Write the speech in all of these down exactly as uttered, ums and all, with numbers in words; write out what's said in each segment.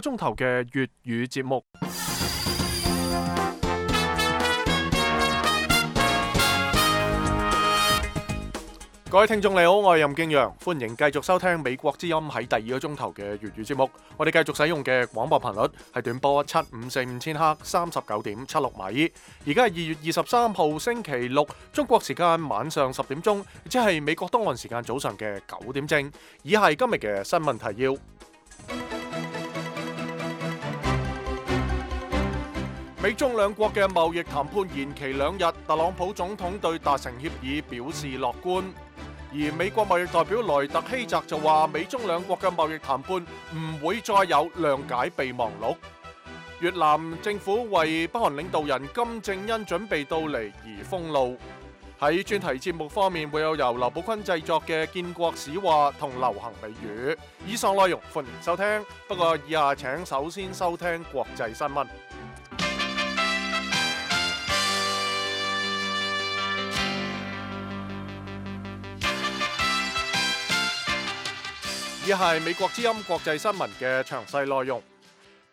鐘頭嘅粵語節目。各位聽眾你好，我係任敬陽，歡迎繼續收聽美國之音喺第二個鐘頭嘅粵語節目。我哋繼續使用嘅廣播頻率係短波七五四五千赫三十九點七六米。而家係二月二十三號星期六，中國時間晚上十點鐘，即係美國東岸時間早上嘅九點正。以下係今日嘅新聞提要。美中兩國嘅貿易談判延期兩日，特朗普總統對達成協議表示樂觀。而美國貿易代表萊特希澤就話，美中兩國嘅貿易談判唔會再有諒解備忘錄。越南政府為北韓領導人金正恩準備到嚟而封路。喺專題節目方面，會有由劉寶坤製作嘅建國史話同流行美語。以上內容歡迎收聽，不過以下請首先收聽國際新聞。以下係美國之音國際新聞嘅詳細內容。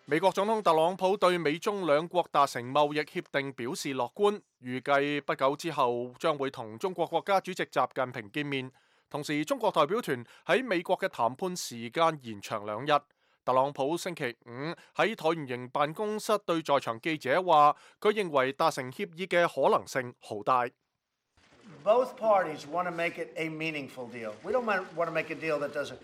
美國總統特朗普對美中兩國達成貿易協定表示樂觀，預計不久之後將會同中國國家主席習近平見面。同時，中國代表團喺美國嘅談判時間延長兩日。特朗普星期五喺橢圓形辦公室對在場記者話，佢認為達成協議嘅可能性好大。Both parties want to make it a meaningful deal. We don't want to make a deal that doesn't.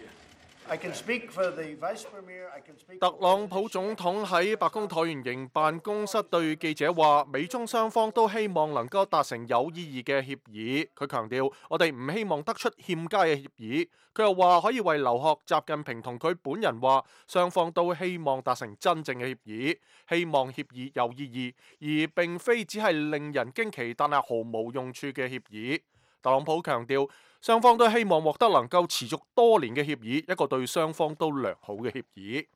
I can speak for the Vice Premier. I can speak. 特朗普總統喺白宮橢圓形辦公室對記者話，美中雙方都希望能夠達成有意義嘅協議。佢強調，我哋唔希望得出欠佳嘅協議。佢又話可以為留學習近平同佢本人話，雙方都希望達成真正嘅協議，希望協議有意義，而並非只係令人驚奇但係毫無用處嘅協議。特朗普強調，雙方都希望獲得能夠持續多年嘅協議，一個對雙方都良好嘅協議。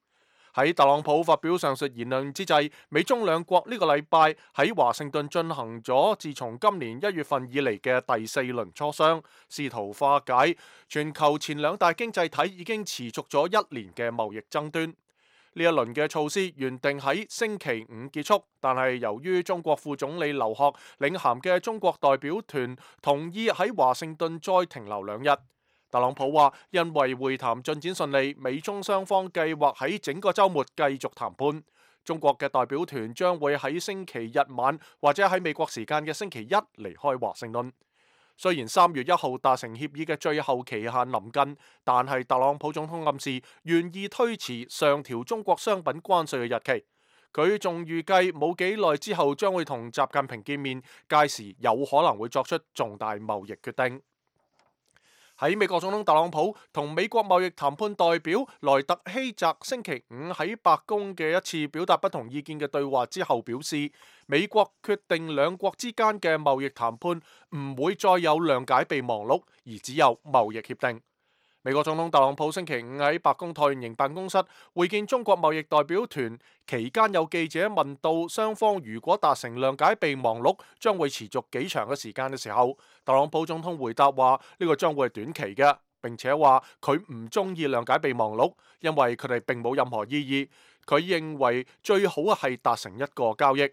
喺特朗普發表上述言論之際，美中兩國呢個禮拜喺華盛頓進行咗自從今年一月份以嚟嘅第四輪磋商，試圖化解全球前兩大經濟體已經持續咗一年嘅貿易爭端。呢一輪嘅措施原定喺星期五結束，但係由於中國副總理劉鶴領銜嘅中國代表團同意喺華盛頓再停留兩日。特朗普話，因為會談進展順利，美中雙方計劃喺整個週末繼續談判。中國嘅代表團將會喺星期日晚或者喺美國時間嘅星期一離開華盛頓。雖然三月一號達成協議嘅最後期限臨近，但係特朗普總統暗示願意推遲上調中國商品關稅嘅日期。佢仲預計冇幾耐之後將會同習近平見面，屆時有可能會作出重大貿易決定。喺美國總統特朗普同美國貿易談判代表萊特希澤星期五喺白宮嘅一次表達不同意見嘅對話之後表示，美國決定兩國之間嘅貿易談判唔會再有諒解備忘錄，而只有貿易協定。美國總統特朗普星期五喺白宮橢圓形辦公室會見中國貿易代表團期間，有記者問到雙方如果達成諒解備忘錄將會持續幾長嘅時間嘅時候，特朗普總統回答話呢個將會係短期嘅，並且話佢唔中意諒解備忘錄，因為佢哋並冇任何意義。佢認為最好係達成一個交易。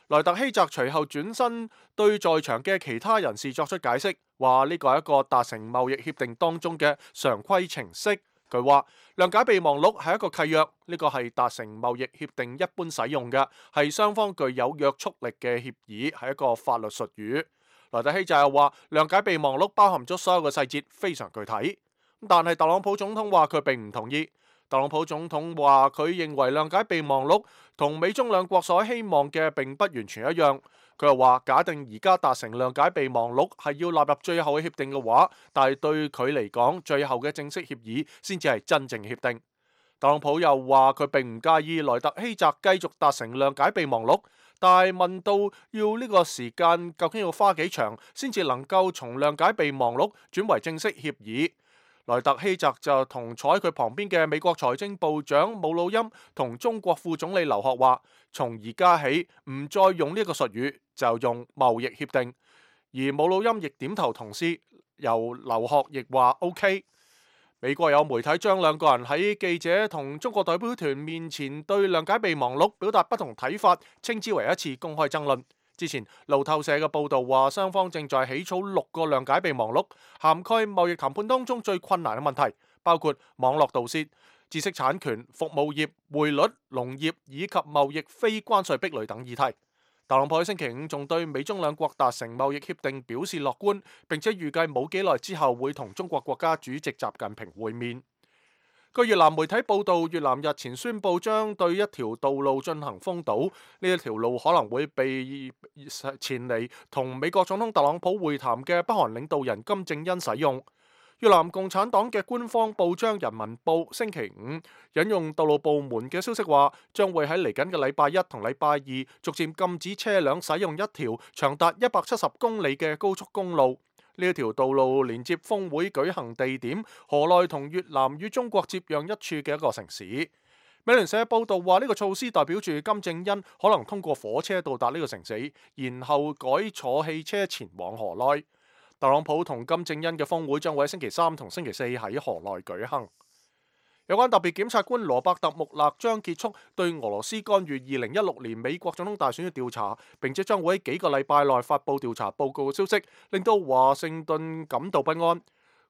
萊特希澤隨後轉身對在場嘅其他人士作出解釋，話呢個係一個達成貿易協定當中嘅常規程式。佢話諒解備忘錄係一個契約，呢個係達成貿易協定一般使用嘅，係雙方具有約束力嘅協議，係一個法律術語。萊特希澤又話諒解備忘錄包含咗所有嘅細節，非常具體。但係特朗普總統話佢並唔同意。特朗普總統話佢認為諒解備忘錄同美中兩國所希望嘅並不完全一樣。佢又話假定而家達成諒解備忘錄係要納入最後嘅協定嘅話，但係對佢嚟講，最後嘅正式協議先至係真正協定。特朗普又話佢並唔介意萊特希澤繼續達成諒解備忘錄，但係問到要呢個時間究竟要花幾長先至能夠從諒解備忘錄轉為正式協議。萊特希澤就同坐喺佢旁邊嘅美國財政部長姆努欽同中國副總理劉鶴話，從而家起唔再用呢個術語，就用貿易協定。而姆努欽亦點頭同意，由劉鶴亦話 OK。美國有媒體將兩個人喺記者同中國代表團面前對諒解備忘錄表達不同睇法，稱之為一次公開爭論。之前路透社嘅報導話，雙方正在起草六個諒解備忘錄，涵蓋貿易談判當中最困難嘅問題，包括網絡盜竊、知識產權、服務業、匯率、農業以及貿易非關稅壁壘等議題。特朗普喺星期五仲對美中兩國達成貿易協定表示樂觀，並且預計冇幾耐之後會同中國國家主席習近平會面。據越南媒體報導，越南日前宣布將對一條道路進行封堵，呢一條路可能會被前嚟同美國總統特朗普會談嘅北韓領導人金正恩使用。越南共產黨嘅官方報章《人民報》星期五引用道路部門嘅消息話，將會喺嚟緊嘅禮拜一同禮拜二逐漸禁止車輛使用一條長達一百七十公里嘅高速公路。呢一條道路連接峰會舉行地點河內同越南與中國接壤一處嘅一個城市。美聯社報導話，呢個措施代表住金正恩可能通過火車到達呢個城市，然後改坐汽車前往河內。特朗普同金正恩嘅峰會將會喺星期三同星期四喺河內舉行。有關特別檢察官羅伯特穆勒將結束對俄羅斯干預二零一六年美國總統大選嘅調查，並且將會喺幾個禮拜內發布調查報告嘅消息，令到華盛頓感到不安。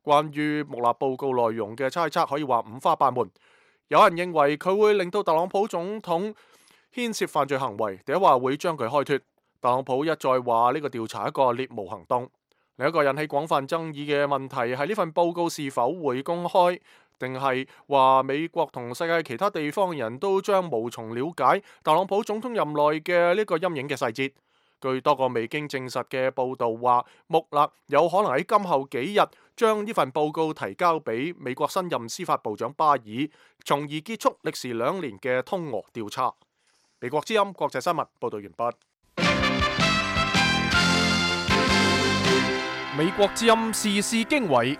關於穆勒報告內容嘅猜測可以話五花八門，有人認為佢會令到特朗普總統牽涉犯罪行為，第一話會將佢開脫。特朗普一再話呢個調查係一個獵巫行動。另一個引起廣泛爭議嘅問題係呢份報告是否會公開，定係話美國同世界其他地方人都將無從了解特朗普總統任內嘅呢個陰影嘅細節。據多個未經證實嘅報導話，穆勒有可能喺今後幾日將呢份報告提交俾美國新任司法部長巴爾，從而結束歷時兩年嘅通俄調查。美國之音國際新聞報導完畢。美國之音時事經緯，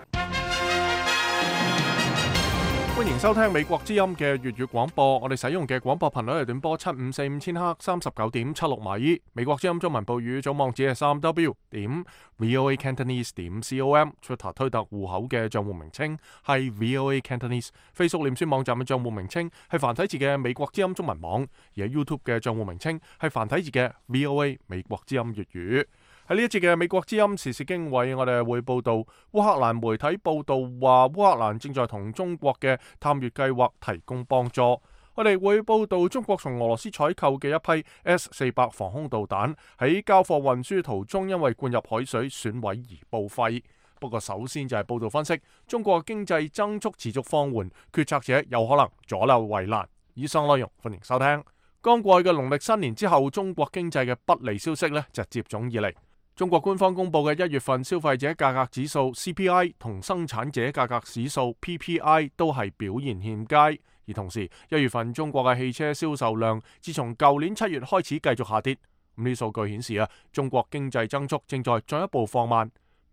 歡迎收聽美國之音嘅粵語廣播。我哋使用嘅廣播頻率係短波七五四五千赫，三十九點七六米。美國之音中文報語總網址係三 w 點 voa cantonese 點 com。Twitter 推特戶口嘅賬戶名稱係 voa cantonese。Facebook 臉書網站嘅賬戶名稱係繁體字嘅美國之音中文網，而喺 YouTube 嘅賬戶名稱係繁體字嘅 voa 美國之音粵語。喺呢一節嘅美國之音時事經緯，我哋會報道烏克蘭媒體報道話，烏克蘭正在同中國嘅探月計劃提供幫助。我哋會報道中國從俄羅斯採購嘅一批 S 四百防空導彈喺交貨運輸途中因為灌入海水損毀而報廢。不過首先就係報道分析，中國經濟增速持續放緩，決策者有可能左右為難。以上內容歡迎收聽。剛過去嘅農曆新年之後，中國經濟嘅不利消息呢就接踵而嚟。中國官方公布嘅一月份消費者價格指數 C P I 同生產者價格指數 P P I 都係表現欠佳，而同時一月份中國嘅汽車銷售量自從舊年七月開始繼續下跌。咁呢啲數據顯示啊，中國經濟增速正在進一步放慢。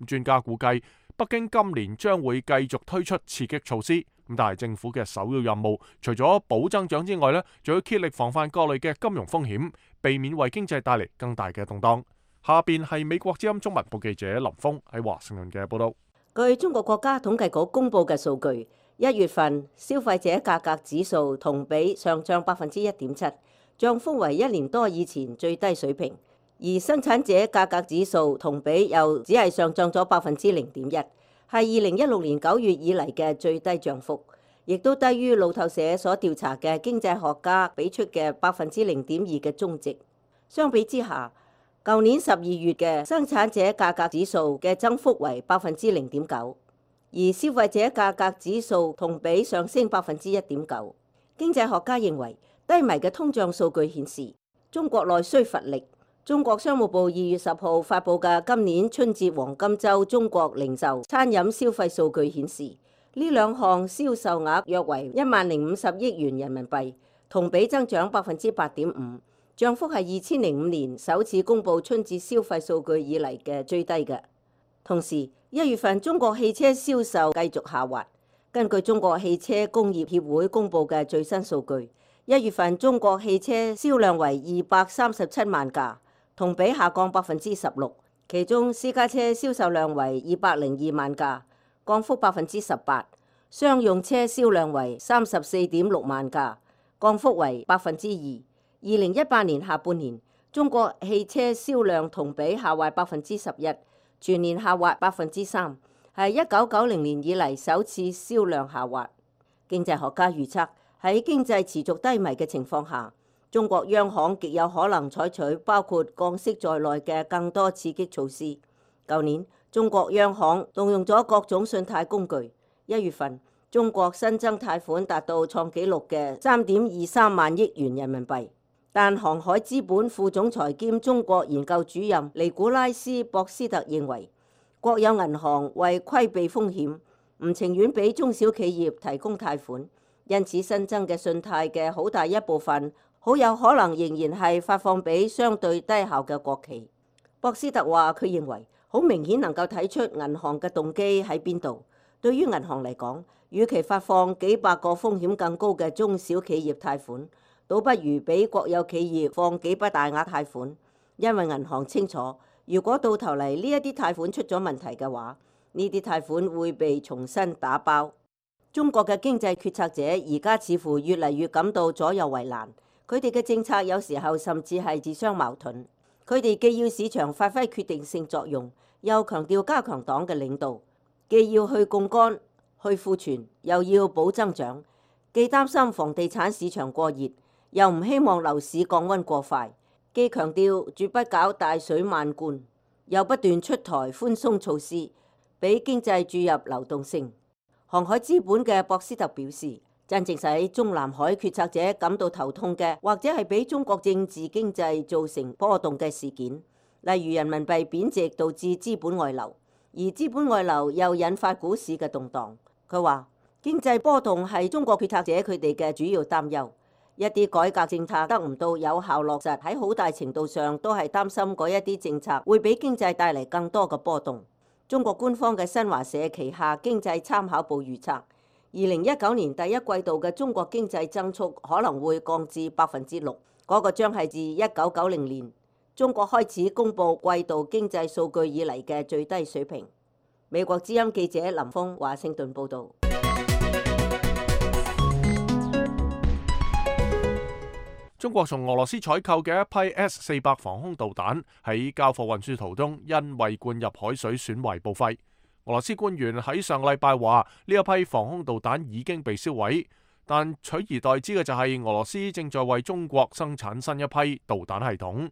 專家估計，北京今年將會繼續推出刺激措施。咁但係政府嘅首要任務，除咗保增長之外呢，仲要竭力防範各類嘅金融風險，避免為經濟帶嚟更大嘅動盪。下邊係美國之音中文部記者林峰喺華盛頓嘅報道。據中國國家統計局公布嘅數據，一月份消費者價格指數同比上漲百分之一點七，漲幅為一年多以前最低水平。而生產者價格指數同比又只係上漲咗百分之零點一，係二零一六年九月以嚟嘅最低漲幅，亦都低於路透社所調查嘅經濟學家俾出嘅百分之零點二嘅中值。相比之下，舊年十二月嘅生產者價格指數嘅增幅為百分之零點九，而消費者價格指數同比上升百分之一點九。經濟學家認為，低迷嘅通脹數據顯示中國內需乏力。中國商務部二月十號發布嘅今年春節黃金週中國零售、餐飲消費數據顯示，呢兩項銷售額約為一萬零五十億元人民幣，同比增長百分之八點五。漲幅係二千零五年首次公布春節消費數據以嚟嘅最低嘅。同時，一月份中國汽車銷售繼續下滑。根據中國汽車工業協會公布嘅最新數據，一月份中國汽車銷量為二百三十七萬架，同比下降百分之十六。其中私家車銷售量為二百零二萬架，降幅百分之十八；商用車銷量為三十四點六萬架，降幅為百分之二。二零一八年下半年，中國汽車銷量同比下滑百分之十一，全年下滑百分之三，係一九九零年以嚟首次銷量下滑。經濟學家預測，喺經濟持續低迷嘅情況下，中國央行極有可能採取包括降息在內嘅更多刺激措施。舊年，中國央行動用咗各種信貸工具。一月份，中國新增貸款達到創紀錄嘅三點二三萬億元人民幣。但航海資本副總裁兼中國研究主任尼古拉斯博斯特認為，國有銀行為規避風險，唔情願俾中小企業提供貸款，因此新增嘅信貸嘅好大一部分，好有可能仍然係發放俾相對低效嘅國企。博斯特話：佢認為好明顯能夠睇出銀行嘅動機喺邊度。對於銀行嚟講，與其發放幾百個風險更高嘅中小企業貸款，倒不如俾國有企業放幾筆大額貸款，因為銀行清楚，如果到頭嚟呢一啲貸款出咗問題嘅話，呢啲貸款會被重新打包。中國嘅經濟決策者而家似乎越嚟越感到左右為難，佢哋嘅政策有時候甚至係自相矛盾。佢哋既要市場發揮決定性作用，又強調加強黨嘅領導，既要去槓桿、去庫存，又要保增長，既擔心房地產市場過熱，又唔希望樓市降溫過快，既強調絕不搞大水漫灌，又不斷出台寬鬆措施，俾經濟注入流動性。航海資本嘅博斯特表示，真正使中南海決策者感到頭痛嘅，或者係俾中國政治經濟造成波動嘅事件，例如人民幣貶值導致資本外流，而資本外流又引發股市嘅動盪。佢話經濟波動係中國決策者佢哋嘅主要擔憂。一啲改革政策得唔到有效落實，喺好大程度上都係擔心嗰一啲政策會俾經濟帶嚟更多嘅波動。中國官方嘅新華社旗下經濟參考報預測，二零一九年第一季度嘅中國經濟增速可能會降至百分之六，嗰個將係自一九九零年中國開始公布季度經濟數據以嚟嘅最低水平。美國之音記者林峰華盛頓報導。中國從俄羅斯採購嘅一批 S 四百防空導彈喺交貨運輸途中，因為灌入海水損壞報廢。俄羅斯官員喺上禮拜話，呢一批防空導彈已經被銷毀，但取而代之嘅就係俄羅斯正在為中國生產新一批導彈系統。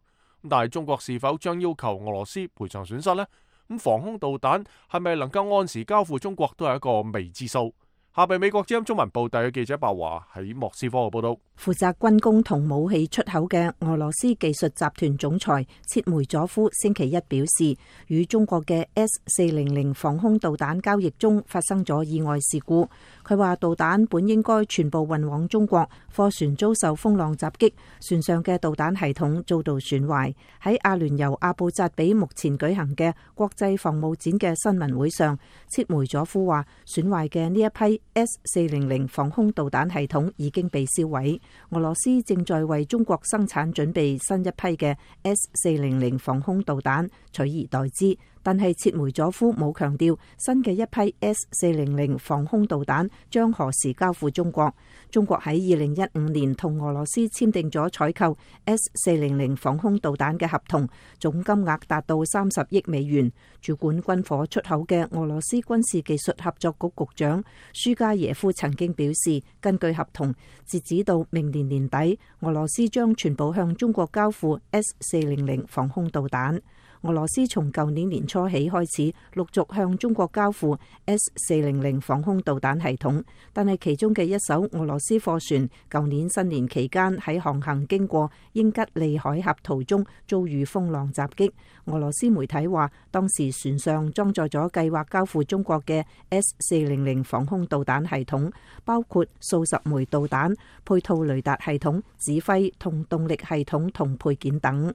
但係中國是否將要求俄羅斯賠償損失呢？咁防空導彈係咪能夠按時交付中國都係一個未知數。下邊美國之音中文部第嘅記者白華喺莫斯科嘅報道。負責軍工同武器出口嘅俄羅斯技術集團總裁切梅佐夫星期一表示，與中國嘅 S 四零零防空導彈交易中發生咗意外事故。佢話導彈本應該全部運往中國，貨船遭受風浪襲擊，船上嘅導彈系統遭到損壞。喺阿聯酋阿布扎比目前舉行嘅國際防務展嘅新聞會上，切梅佐夫話損壞嘅呢一批 S 四零零防空導彈系統已經被銷毀。俄羅斯正在為中國生產準備新一批嘅 S 四零零防空導彈，取而代之。但係切梅佐夫冇強調新嘅一批 S 四零零防空導彈將何時交付中國。中國喺二零一五年同俄羅斯簽訂咗採購 S 四零零防空導彈嘅合同，總金額達到三十億美元。主管軍火出口嘅俄羅斯軍事技術合作局局長舒加耶夫曾經表示，根據合同，截止到明年年底，俄羅斯將全部向中國交付 S 四零零防空導彈。俄羅斯從舊年年初起開始陸續向中國交付 S 四零零防空導彈系統，但係其中嘅一艘俄羅斯貨船舊年新年期間喺航行經過英吉利海峽途中遭遇風浪襲擊。俄羅斯媒體話，當時船上裝載咗計劃交付中國嘅 S 四零零防空導彈系統，包括數十枚導彈、配套雷達系統、指揮同動力系統同配件等。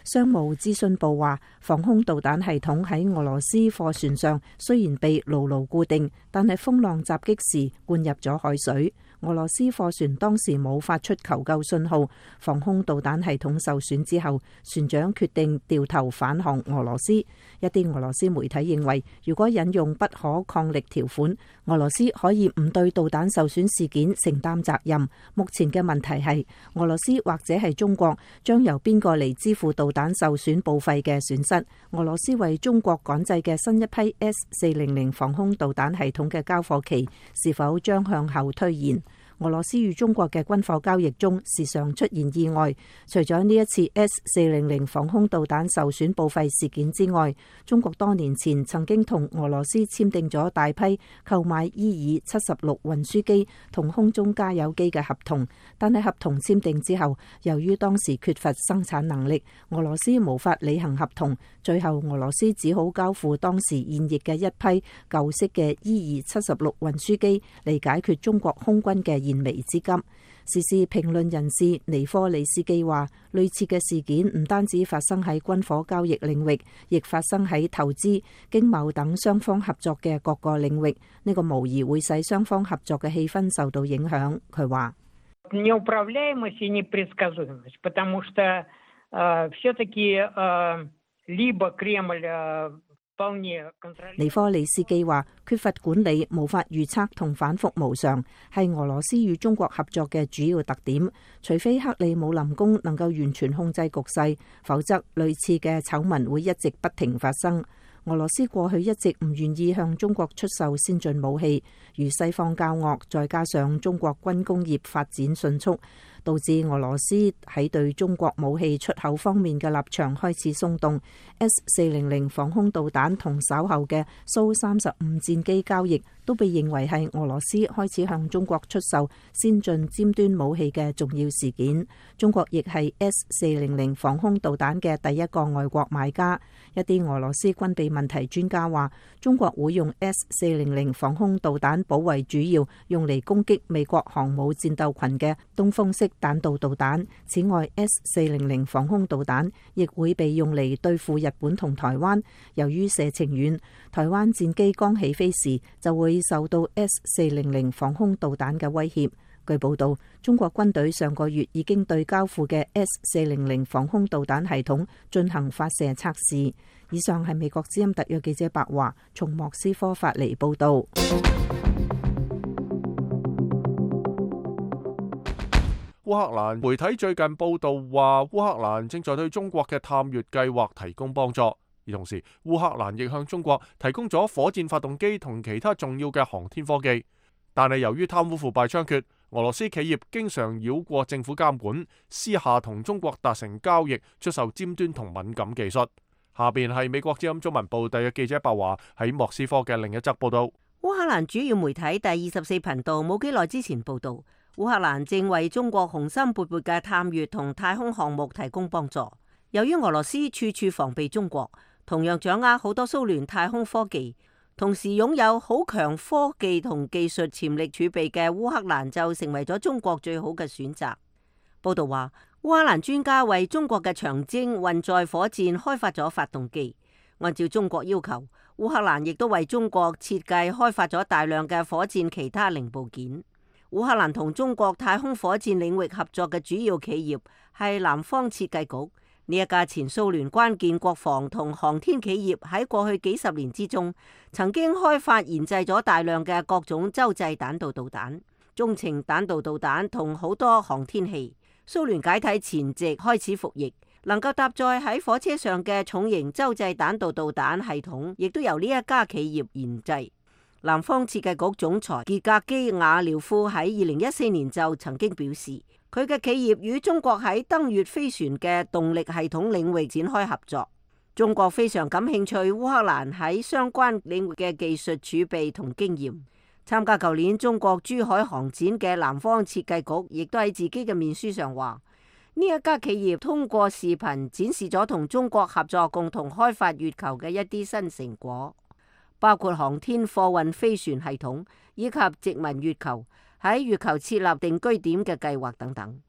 商務資訊部話，防空導彈系統喺俄羅斯貨船上雖然被牢牢固定，但係風浪襲擊時灌入咗海水。俄羅斯貨船當時冇發出求救信號，防空導彈系統受損之後，船長決定掉頭返航俄羅斯。一啲俄羅斯媒體認為，如果引用不可抗力條款，俄羅斯可以唔對導彈受損事件承擔責任。目前嘅問題係，俄羅斯或者係中國將由邊個嚟支付導彈受損報廢嘅損失？俄羅斯為中國趕製嘅新一批 S 四零零防空導彈系統嘅交貨期是否將向後推延？俄羅斯與中國嘅軍火交易中時常出現意外，除咗呢一次 S 四零零防空導彈受損報廢事件之外，中國多年前曾經同俄羅斯簽訂咗大批購買伊爾七十六運輸機同空中加油機嘅合同，但係合同簽訂之後，由於當時缺乏生產能力，俄羅斯無法履行合同，最後俄羅斯只好交付當時現役嘅一批舊式嘅伊爾七十六運輸機嚟解決中國空軍嘅燃眉之急。時事評論人士尼科里斯基話，類似嘅事件唔單止發生喺軍火交易領域，亦發生喺投資、經貿等雙方合作嘅各個領域。呢個無疑會使雙方合作嘅氣氛受到影響。佢話：неуправляемость и непредсказуемость, потому что все-таки либо Кремль尼科里斯基話，缺乏管理、無法預測同反覆無常，係俄羅斯與中國合作嘅主要特點。除非克里姆林宮能夠完全控制局勢，否則類似嘅醜聞會一直不停發生。俄羅斯過去一直唔願意向中國出售先進武器，與西方交惡，再加上中國軍工業發展迅速，導致俄羅斯喺對中國武器出口方面嘅立場開始鬆動。S 四零零防空導彈同稍後嘅蘇三十五戰機交易都被認為係俄羅斯開始向中國出售先進尖端武器嘅重要事件。中國亦係 S 四零零防空導彈嘅第一個外國買家。一啲俄羅斯軍備問題專家話，中國會用 S 四零零防空導彈保衛主要用嚟攻擊美國航母戰鬥群嘅東風式彈道導彈。此外 ，S 四零零防空導彈亦會被用嚟對付日本同台灣。由於射程遠，台灣戰機剛起飛時就會受到 S 四零零防空導彈嘅威脅。據報道，中國軍隊上個月已經對交付嘅 S 四零零防空導彈系統進行發射測試。以上係美國之音特約記者白華從莫斯科發嚟報道。烏克蘭媒體最近報道話，烏克蘭正在對中國嘅探月計劃提供幫助，而同時烏克蘭亦向中國提供咗火箭發動機同其他重要嘅航天科技。但係由於貪污腐敗猖獗，俄羅斯企業經常繞過政府監管，私下同中國達成交易，出售尖端同敏感技術。下邊係美國之音中文部特約記者白華喺莫斯科嘅另一則報道。烏克蘭主要媒體第二十四頻道冇幾耐之前報道，烏克蘭正為中國雄心勃勃嘅探月同太空項目提供幫助。由於俄羅斯處處防備中國，同樣掌握好多蘇聯太空科技，同時擁有好強科技同技術潛力儲備嘅烏克蘭就成為咗中國最好嘅選擇。報道話，烏克蘭專家為中國嘅長征運載火箭開發咗發動機，按照中國要求，烏克蘭亦都為中國設計開發咗大量嘅火箭其他零部件。烏克蘭同中國太空火箭領域合作嘅主要企業係南方設計局。呢一家前蘇聯關鍵國防同航天企業喺過去幾十年之中，曾經開發研製咗大量嘅各種洲際彈道導彈、中程彈道導彈同好多航天器。蘇聯解體前夕開始服役，能夠搭載喺火車上嘅重型洲際彈道導彈系統，亦都由呢一家企業研製。南方設計局總裁傑格基亞廖夫喺二零一四年就曾經表示，佢嘅企業與中國喺登月飛船嘅動力系統領域展開合作。中國非常感興趣烏克蘭喺相關領域嘅技術儲備同經驗。參加舊年中國珠海航展嘅南方設計局亦都喺自己嘅面書上話，呢一家企業通過視頻展示咗同中國合作共同開發月球嘅一啲新成果，包括航天貨運飛船系統以及殖民月球、喺月球設立定居點嘅計劃等等。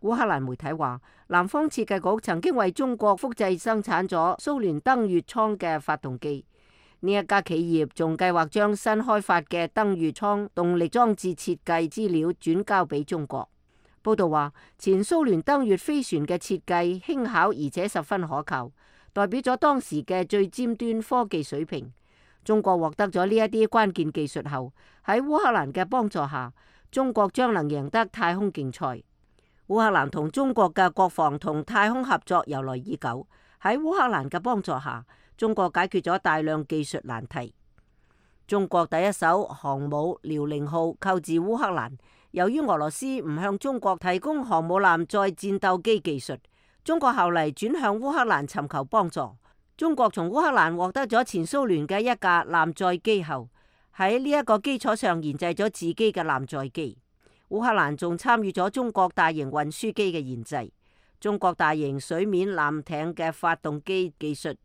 烏克蘭媒體話，南方設計局曾經為中國複製生產咗蘇聯登月艙嘅發動機。呢一家企業仲計劃將新開發嘅登月艙動力裝置設計資料轉交俾中國。報道話，前蘇聯登月飛船嘅設計輕巧而且十分可靠，代表咗當時嘅最尖端科技水平。中國獲得咗呢一啲關鍵技術後，喺烏克蘭嘅幫助下，中國將能贏得太空競賽。烏克蘭同中國嘅國防同太空合作由來已久，喺烏克蘭嘅幫助下，中國解決咗大量技術難題。中國第一艘航母遼寧號購自烏克蘭，由於俄羅斯唔向中國提供航母艦載戰鬥機技術，中國後嚟轉向烏克蘭尋求幫助。中國從烏克蘭獲得咗前蘇聯嘅一架艦載機後，喺呢一個基礎上研製咗自己嘅艦載機。烏克蘭仲參與咗中國大型運輸機嘅研製，中國大型水面艦艇嘅發動機技術，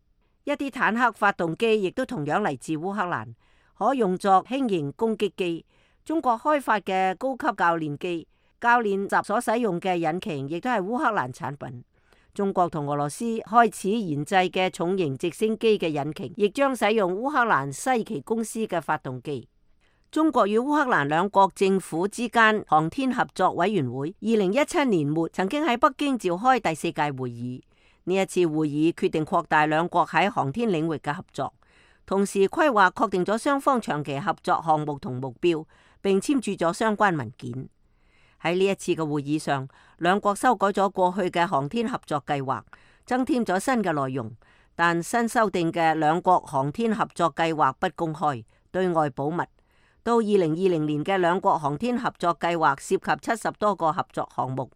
一啲坦克發動機亦都同樣嚟自烏克蘭，可用作輕型攻擊機。中國開發嘅高級教練機、教練習所使用嘅引擎亦都係烏克蘭產品。中國同俄羅斯開始研製嘅重型直升機嘅引擎，亦將使用烏克蘭西奇公司嘅發動機。中國與烏克蘭兩國政府之間航天合作委員會二零一七年末曾經喺北京召開第四屆會議。呢一次會議決定擴大兩國喺航天領域嘅合作，同時規劃確定咗雙方長期合作項目同目標，並簽署咗相關文件。喺呢一次嘅會議上，兩國修改咗過去嘅航天合作計劃，增添咗新嘅內容。但新修訂嘅兩國航天合作計劃不公開，對外保密。到二零二零年嘅兩國航天合作計劃涉及七十多個合作項目，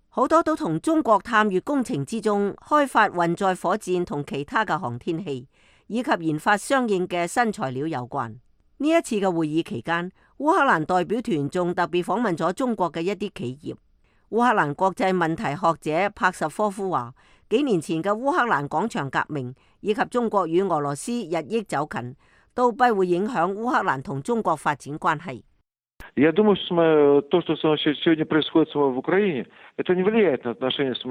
好多都同中國探月工程之中開發運載火箭同其他嘅航天器，以及研發相應嘅新材料有關。呢一次嘅會議期間，烏克蘭代表團仲特別訪問咗中國嘅一啲企業。烏克蘭國際問題學者帕什科夫話，幾年前嘅烏克蘭廣場革命以及中國與俄羅斯日益走近，都不會影響烏克蘭同中國發展關係。Я думаю, что то, что сегодня происходит в Украине, это не влияет на отношения с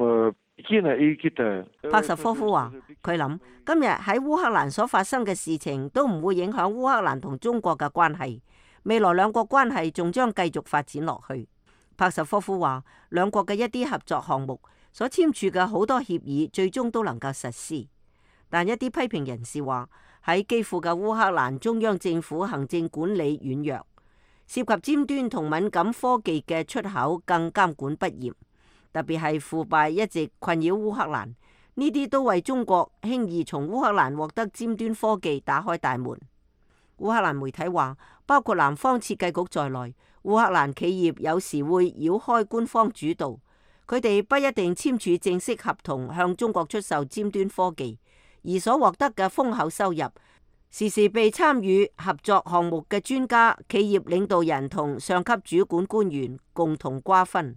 Пекина и Китая. 帕什科夫話，佢諗今日喺烏克蘭所發生嘅事情都唔會影響烏克蘭同中國嘅關係，未來兩國關係仲將繼續發展落去。帕什科夫話，兩國嘅一啲合作項目所簽署嘅好多協議最終都能夠實施，但一啲批評人士話喺基輔嘅烏克蘭中央政府行政管理軟弱，涉及尖端同敏感科技嘅出口更監管不嚴，特別係腐敗一直困擾烏克蘭，呢啲都為中國輕易從烏克蘭獲得尖端科技打開大門。烏克蘭媒體話，包括南方設計局在內，烏克蘭企業有時會繞開官方主導，佢哋不一定簽署正式合同向中國出售尖端科技，而所獲得嘅豐厚收入，時時被參與合作項目嘅專家、企業領導人同上級主管官員共同瓜分。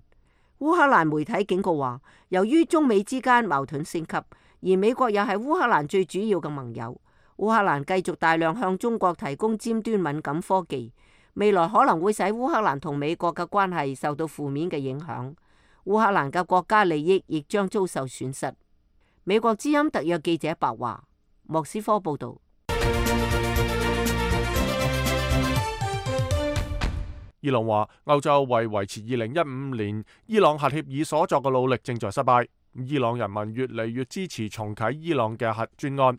烏克蘭媒體警告話，由於中美之間矛盾升級，而美國又係烏克蘭最主要嘅盟友，烏克蘭繼續大量向中國提供尖端敏感科技，未來可能會使烏克蘭同美國嘅關係受到負面嘅影響，烏克蘭嘅國家利益亦將遭受損失。美國之音特約記者白華，莫斯科報道。伊朗話，歐洲為維持二零一五年伊朗核協議所作嘅努力正在失敗。伊朗人民越嚟越支持重啟伊朗嘅核專案。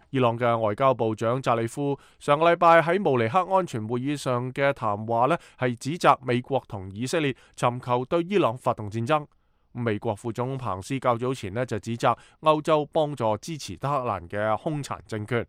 伊朗嘅外交部長扎里夫上個禮拜喺慕尼黑安全會議上嘅談話呢，係指責美國同以色列尋求對伊朗發動戰爭。美國副總統彭斯較早前呢就指責歐洲幫助支持德黑蘭嘅兇殘政權。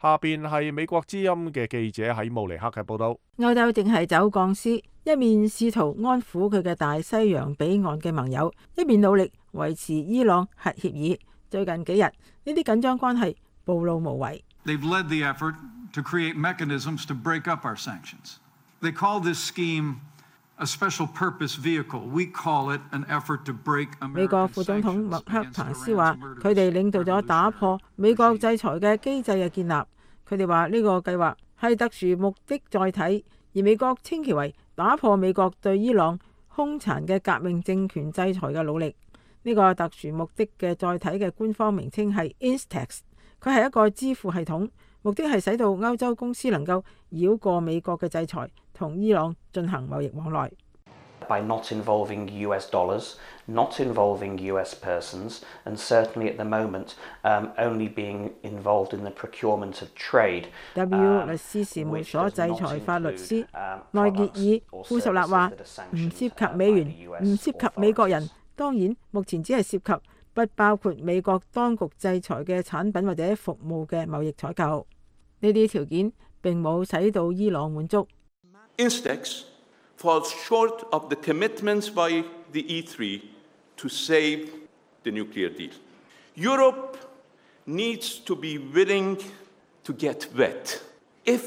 下邊係美國之音嘅記者喺慕尼黑嘅報道。歐洲正係走鋼絲，一面試圖安撫佢嘅大西洋彼岸嘅盟友，一面努力維持伊朗核協議。最近幾日，呢啲緊張關係暴露無遺。They've led the effort to create mechanisms to break up our sanctions. They call this scheme a special purpose vehicle. We call it an effort to break American sanctions. 美國副總統麥克彭斯話，佢哋領導咗打破美國制裁嘅機制嘅建立。佢哋話呢個計劃係特殊目的載體，而美國稱其為打破美國對伊朗兇殘嘅革命政權制裁嘅努力。呢、這個特殊目的嘅載體嘅官方名稱係 Instex， 佢係一個支付系統，目的係使到歐洲公司能夠繞過美國嘅制裁，同伊朗進行貿易往來。By not involving U S dollars, not involving U S persons, and certainly at the moment, um, only being involved in the procurement of trade. W 律師事務所制裁法律師內傑爾富什納話：唔涉及美元，唔涉及美國人。當然，目前只係涉及不包括美國當局制裁嘅產品或者服務嘅貿易採購。呢啲條件並冇使到伊朗滿足。Instex falls short of the commitments by the E three to save the nuclear deal. Europe needs to be willing to get wet. If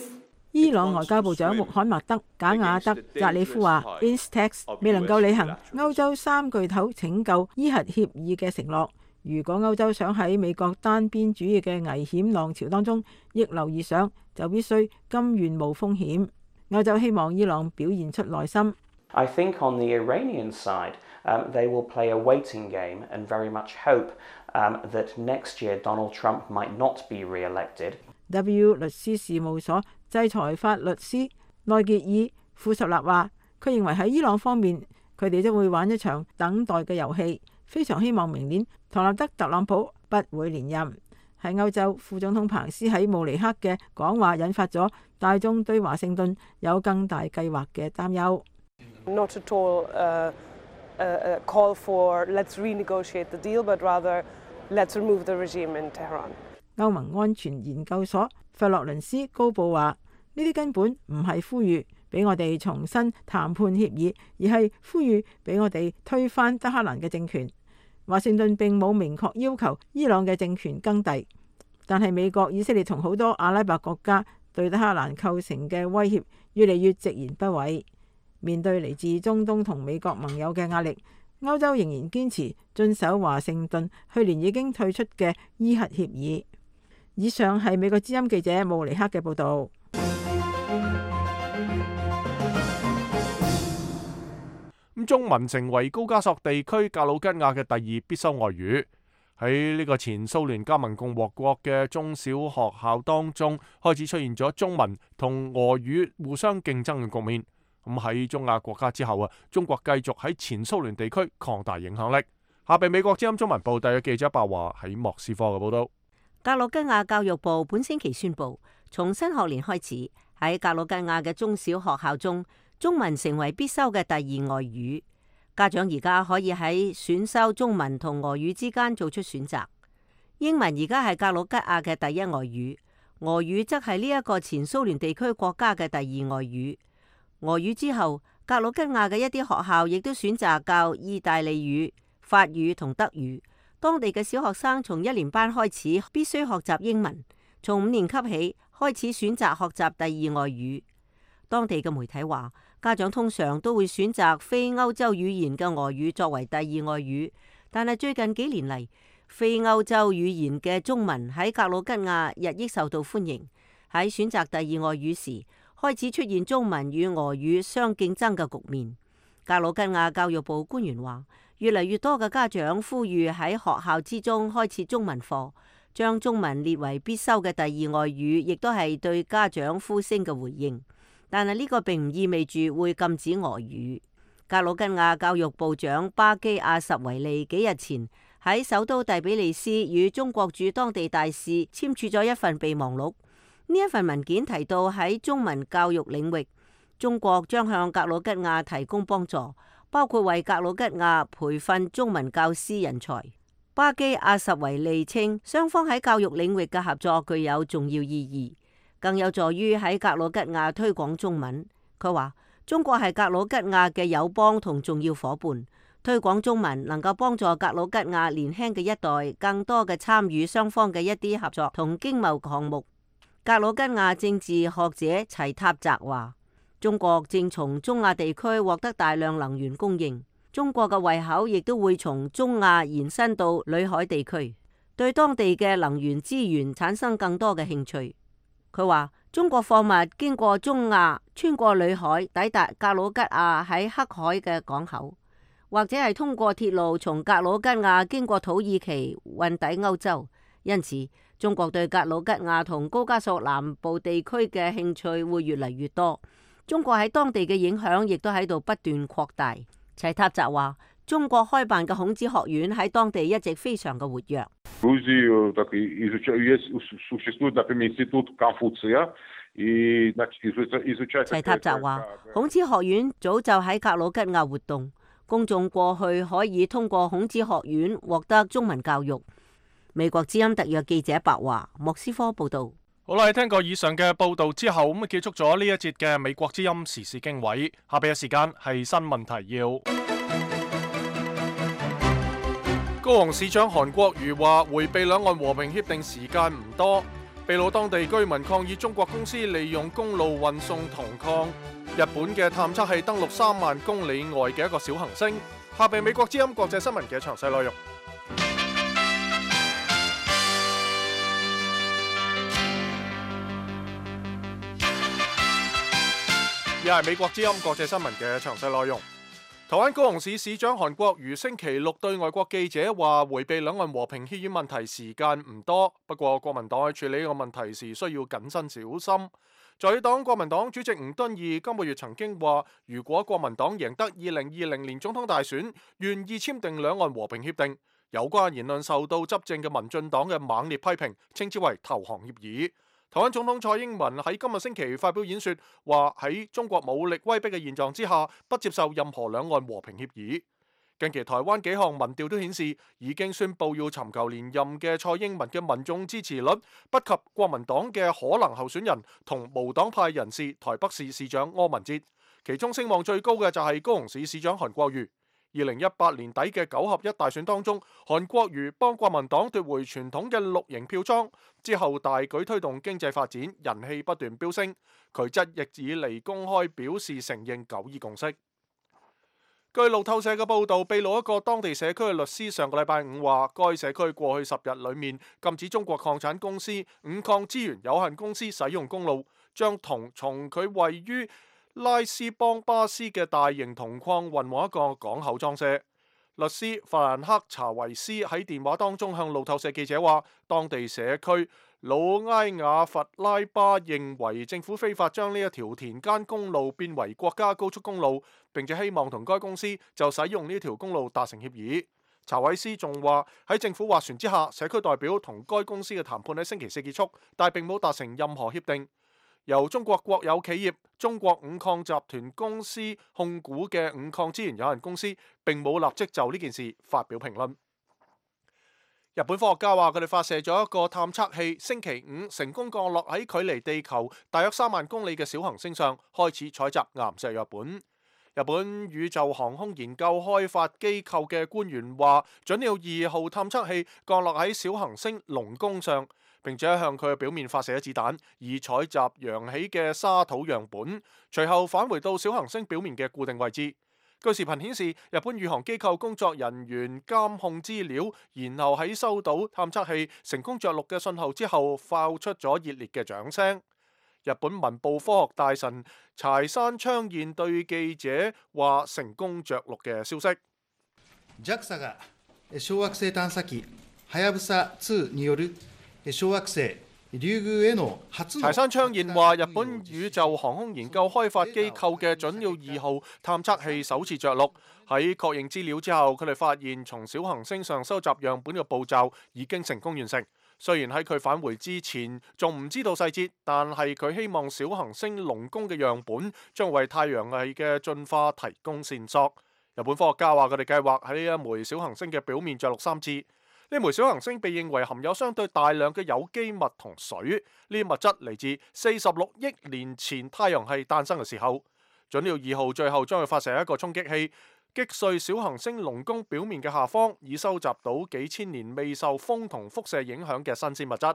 伊朗外交部長穆罕默德·賈亞德·扎里夫話 ，Instex 未能夠履行歐洲三巨頭拯救伊核協議嘅承諾。如果歐洲想喺美國單邊主義嘅危險浪潮當中逆流而上，就必須甘願冒風險。歐洲希望伊朗表現出耐心。I think on the Iranian side, um, they will play a waiting game and very much hope um, that next year Donald Trump might not be re-elected. W 律師事務所制裁法律師內傑爾富什納話，佢認為喺伊朗方面，佢哋將會玩一場等待嘅遊戲，非常希望明年唐納德·特朗普不會連任。喺歐洲，副總統彭斯喺慕尼黑嘅講話引發咗大眾對華盛頓有更大計劃嘅擔憂。Not at all a, a call for let's renegotiate the deal, but rather let's remove the regime in Tehran. 歐盟安全研究所費洛倫斯高布話：呢啲根本唔係呼籲俾我哋重新談判協議，而係呼籲俾我哋推翻德黑蘭嘅政權。華盛頓並冇明確要求伊朗嘅政權更替，但係美國、以色列同好多阿拉伯國家對德黑蘭構成嘅威脅越嚟越直言不諱。面對嚟自中東同美國盟友嘅壓力，歐洲仍然堅持遵守華盛頓去年已經退出嘅伊核協議。以上係美國之音記者慕尼克嘅報導。咁中文成為高加索地區格魯吉亞嘅第二必修外語。喺呢個前蘇聯加盟共和國嘅中小學校當中，開始出現咗中文同俄語互相競爭嘅局面。咁喺中亞國家之後啊，中國繼續喺前蘇聯地區擴大影響力。下邊美國之音中文部第嘅記者白華喺莫斯科嘅報道。格魯吉亞教育部本星期宣布，從新學年開始，喺格魯吉亞嘅中小學校中，中文成為必修嘅第二外語。家長而家可以喺選修中文同俄語之間做出選擇。英文而家係格魯吉亞嘅第一外語，俄語則係呢一個前蘇聯地區國家嘅第二外語。俄語之後，格魯吉亞嘅一啲學校亦都選擇教意大利語、法語同德語。當地嘅小學生從一年班開始必須學習英文，從五年級起開始選擇學習第二外語。當地嘅媒體話，家長通常都會選擇非歐洲語言嘅俄語作為第二外語，但係最近幾年嚟，非歐洲語言嘅中文喺格魯吉亞日益受到歡迎。喺選擇第二外語時，開始出現中文與俄語相競爭嘅局面。格魯吉亞教育部官員話，越嚟越多嘅家長呼籲喺學校之中開設中文課，將中文列為必修嘅第二外語，亦都係對家長呼聲嘅回應。但係呢個並唔意味住會禁止俄語。格魯吉亞教育部長巴基亞什維利幾日前喺首都第比利斯與中國駐當地大使簽署咗一份備忘錄。呢一份文件提到喺中文教育領域，中國將向格魯吉亞提供幫助，包括為格魯吉亞培訓中文教師人才。巴基亞什維利稱，雙方喺教育領域嘅合作具有重要意義，更有助於喺格魯吉亞推廣中文。佢話，中國係格魯吉亞嘅友邦同重要夥伴，推廣中文能夠幫助格魯吉亞年輕嘅一代更多嘅參與雙方嘅一啲合作同經貿項目。格魯吉亞政治學者齊塔澤話，中國正從中亞地區獲得大量能源供應，中國嘅胃口亦都會從中亞延伸到裏海地區，對當地嘅能源資源產生更多嘅興趣。佢話，中國貨物經過中亞，穿過裏海，抵達格魯吉亞喺黑海嘅港口，或者係通過鐵路從格魯吉亞經過土耳其運抵歐洲。因此，中國對格魯吉亞同高加索南部地區嘅興趣會越嚟越多，中國喺當地嘅影響亦都喺度不斷擴大。齊塔澤話：中國開辦嘅孔子學院喺當地一直非常嘅活躍。齊塔澤話：孔子學院早就喺格魯吉亞活動，公眾過去可以通過孔子學院獲得中文教育。美國之音特約記者白華，莫斯科報道。好啦，聽過以上嘅報道之後，咁啊結束咗呢一節嘅美國之音時事經緯。下邊嘅時間係新聞提要。高雄市長韓國瑜話，迴避兩岸和平協定時間唔多。秘魯當地居民抗議中國公司利用公路運送銅礦。日本嘅探測器登陸三萬公里外嘅一個小行星。下邊美國之音國際新聞嘅詳細內容。又係美國之音國際新聞嘅詳細內容。台灣高雄市市長韓國瑜星期六對外國記者話，迴避兩岸和平協議問題時間唔多，不過國民黨喺處理呢個問題時需要謹慎小心。在黨國民黨主席吳敦義今個月曾經話，如果國民黨贏得二零二零年總統大選，願意簽訂兩岸和平協定。有關言論受到執政嘅民進黨嘅猛烈批評，稱之為投降協議。台灣總統蔡英文喺今日星期發表演說，話喺中國武力威逼嘅現狀之下，不接受任何兩岸和平協議。近期台灣幾項民調都顯示，已經宣布要尋求連任嘅蔡英文嘅民眾支持率不及國民黨嘅可能候選人同無黨派人士台北市市長柯文哲，其中聲望最高嘅就係高雄市市長韓國瑜。二零一八年底嘅九合一大選當中，韓國瑜幫國民黨奪回傳統嘅綠營票倉，之後大舉推動經濟發展，人氣不斷飆升。佢則亦以嚟公開表示承認九二共識。據路透社嘅報導，秘魯一個當地社區嘅律師上個禮拜五話，該社區過去十日裡面禁止中國礦產公司五礦資源有限公司使用公路，將銅從佢位於拉斯邦巴斯嘅大型銅礦運往一個港口裝卸。律師法蘭克查維斯喺電話當中向路透社記者話，當地社區魯埃亞弗拉巴認為政府非法將呢一條田間公路變為國家高速公路，並且希望同該公司就使用呢條公路達成協議。查維斯仲話喺政府斡旋之下，社區代表同該公司嘅談判喺星期四結束，但並冇達成任何協定。由中國國有企業中國五礦集團公司控股嘅五礦資源有限公司並冇立即就呢件事發表評論。日本科學家話佢哋發射咗一個探測器，星期五成功降落喺距離地球大約三萬公里嘅小行星上，開始採集岩石樣本。日本宇宙航空研究開發機構嘅官員話，準鳥二號探測器降落喺小行星龍宮上，並且向佢嘅表面發射咗子彈，以採集揚起嘅沙土樣本，隨後返回到小行星表面嘅固定位置。據視頻顯示，日本宇航機構工作人員監控資料，然後喺收到探測器成功着陸嘅信號之後，發出咗熱烈嘅掌聲。日本文部科學大臣柴山昌彥對記者話成功着陸嘅消息。ジャクサ が小惑星探査機はやぶさにによる小惑星リュウグウへの初。柴山昌彥話，日本宇宙航空研究開發機構嘅準鳥二號探測器首次着陸，喺確認資料之後，佢哋發現從小行星上收集樣本嘅步驟已經成功完成。雖然喺佢返回之前仲唔知道細節，但係佢希望小行星龍宮嘅樣本將為太陽系嘅進化提供線索。日本科學家話佢哋計劃喺呢一枚小行星嘅表面着陸三次。呢枚小行星被認為含有相對大量嘅有機物同水，呢啲物質嚟自四十六億年前太陽系誕生嘅時候。準鳥二號最後將會發射一個衝擊器，擊碎小行星龍宮表面嘅下方，以收集到幾千年未受風同輻射影響嘅新鮮物質。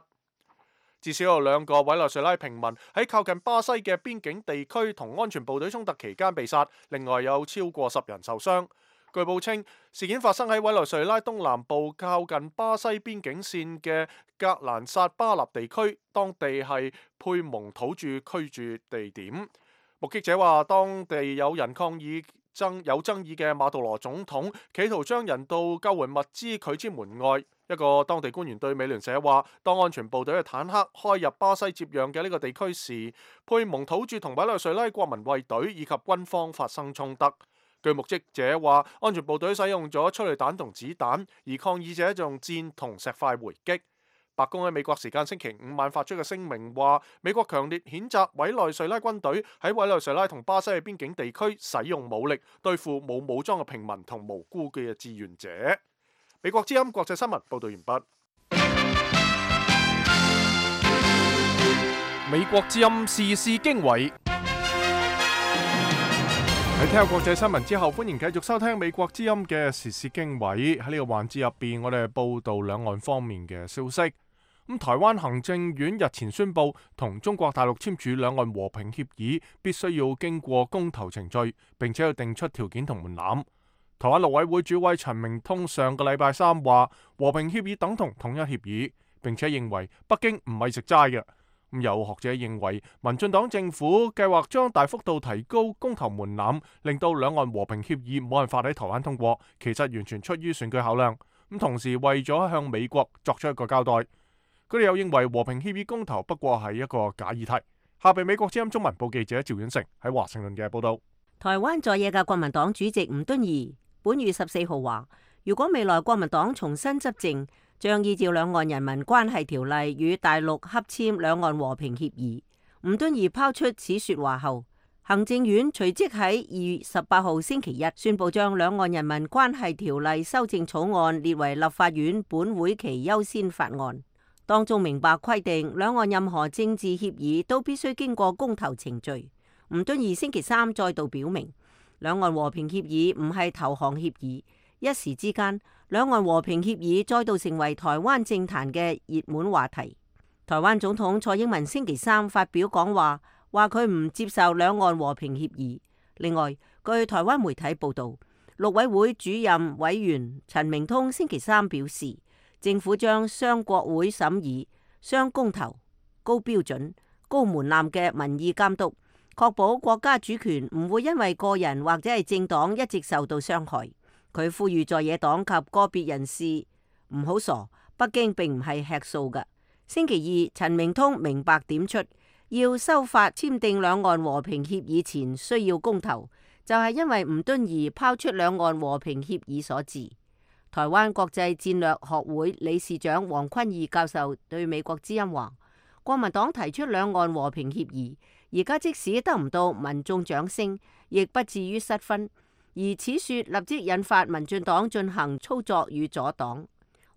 至少有兩個委內瑞拉平民喺靠近巴西嘅邊境地區同安全部隊衝突期間被殺，另外有超過十人受傷。據報稱，事件發生喺委內瑞拉東南部靠近巴西邊境線嘅格蘭薩巴納地區，當地係佩蒙土著居住地點。目擊者話，當地有人抗議爭有爭議嘅馬杜羅總統，企圖將人道救援物資拒之門外。一個當地官員對美聯社話，當安全部隊嘅坦克開入巴西接壤嘅呢個地區時，佩蒙土著同委內瑞拉國民衛隊以及軍方發生衝突。據目擊者話，安全部隊使用咗催淚彈同子彈，而抗議者就用箭同石塊回擊。白宮喺美國時間星期五晚發出嘅聲明話，美國強烈譴責委內瑞拉軍隊喺委內瑞拉同巴西嘅邊境地區使用武力對付冇武裝嘅平民同無辜嘅志願者。美國之音國際新聞報道完畢。美國之音時事經緯。喺聽下國際新聞之後，歡迎繼續收聽美國之音嘅時事經緯。喺呢個環節入邊，我哋報道兩岸方面嘅消息。咁台灣行政院日前宣布，同中國大陸簽署兩岸和平協議，必須要經過公投程序，並且要定出條件同門檻。台灣陸委會主委陳明通上個禮拜三話，和平協議等同統一協議，並且認為北京唔係食齋嘅。咁有學者認為，民進黨政府計劃將大幅度提高公投門檻，令到兩岸和平協議冇辦法喺台灣通過，其實完全出於選舉考量。咁同時為咗向美國作出一個交代，佢哋又認為和平協議公投不過係一個假議題。下邊美國之音中文部記者趙遠成喺華盛頓嘅報道。台灣在野嘅國民黨主席吳敦義本月十四號話，如果未來國民黨重新執政，將依照兩岸人民關係條例與大陸洽簽兩岸和平協議。吳敦義拋出此說話後，行政院隨即喺二月十八號星期一宣布將兩岸人民關係條例修正草案列為立法院本會期優先法案，當中明白規定兩岸任何政治協議都必須經過公投程序。吳敦義星期三再度表明，兩岸和平協議唔係投降協議。一時之間，兩岸和平協議再度成為台灣政壇嘅熱門話題。台灣總統蔡英文星期三發表講話，話佢唔接受兩岸和平協議。另外，據台灣媒體報道，陸委會主任委員陳明通星期三表示，政府將雙國會審議、雙公投、高標準、高門檻嘅民意監督，確保國家主權唔會因為個人或者係政黨一直受到傷害。佢呼籲在野黨及個別人士唔好傻，北京並唔係吃素嘅。星期二，陳明通明白點出，要修法簽訂兩岸和平協議前需要公投，就係因為吳敦義拋出兩岸和平協議所致。台灣國際戰略學會理事長黃坤義教授對美國之音話，國民黨提出兩岸和平協議，而家即使得唔到民眾掌聲，亦不至於失分。而此說立即引發民進黨進行操作與阻擋。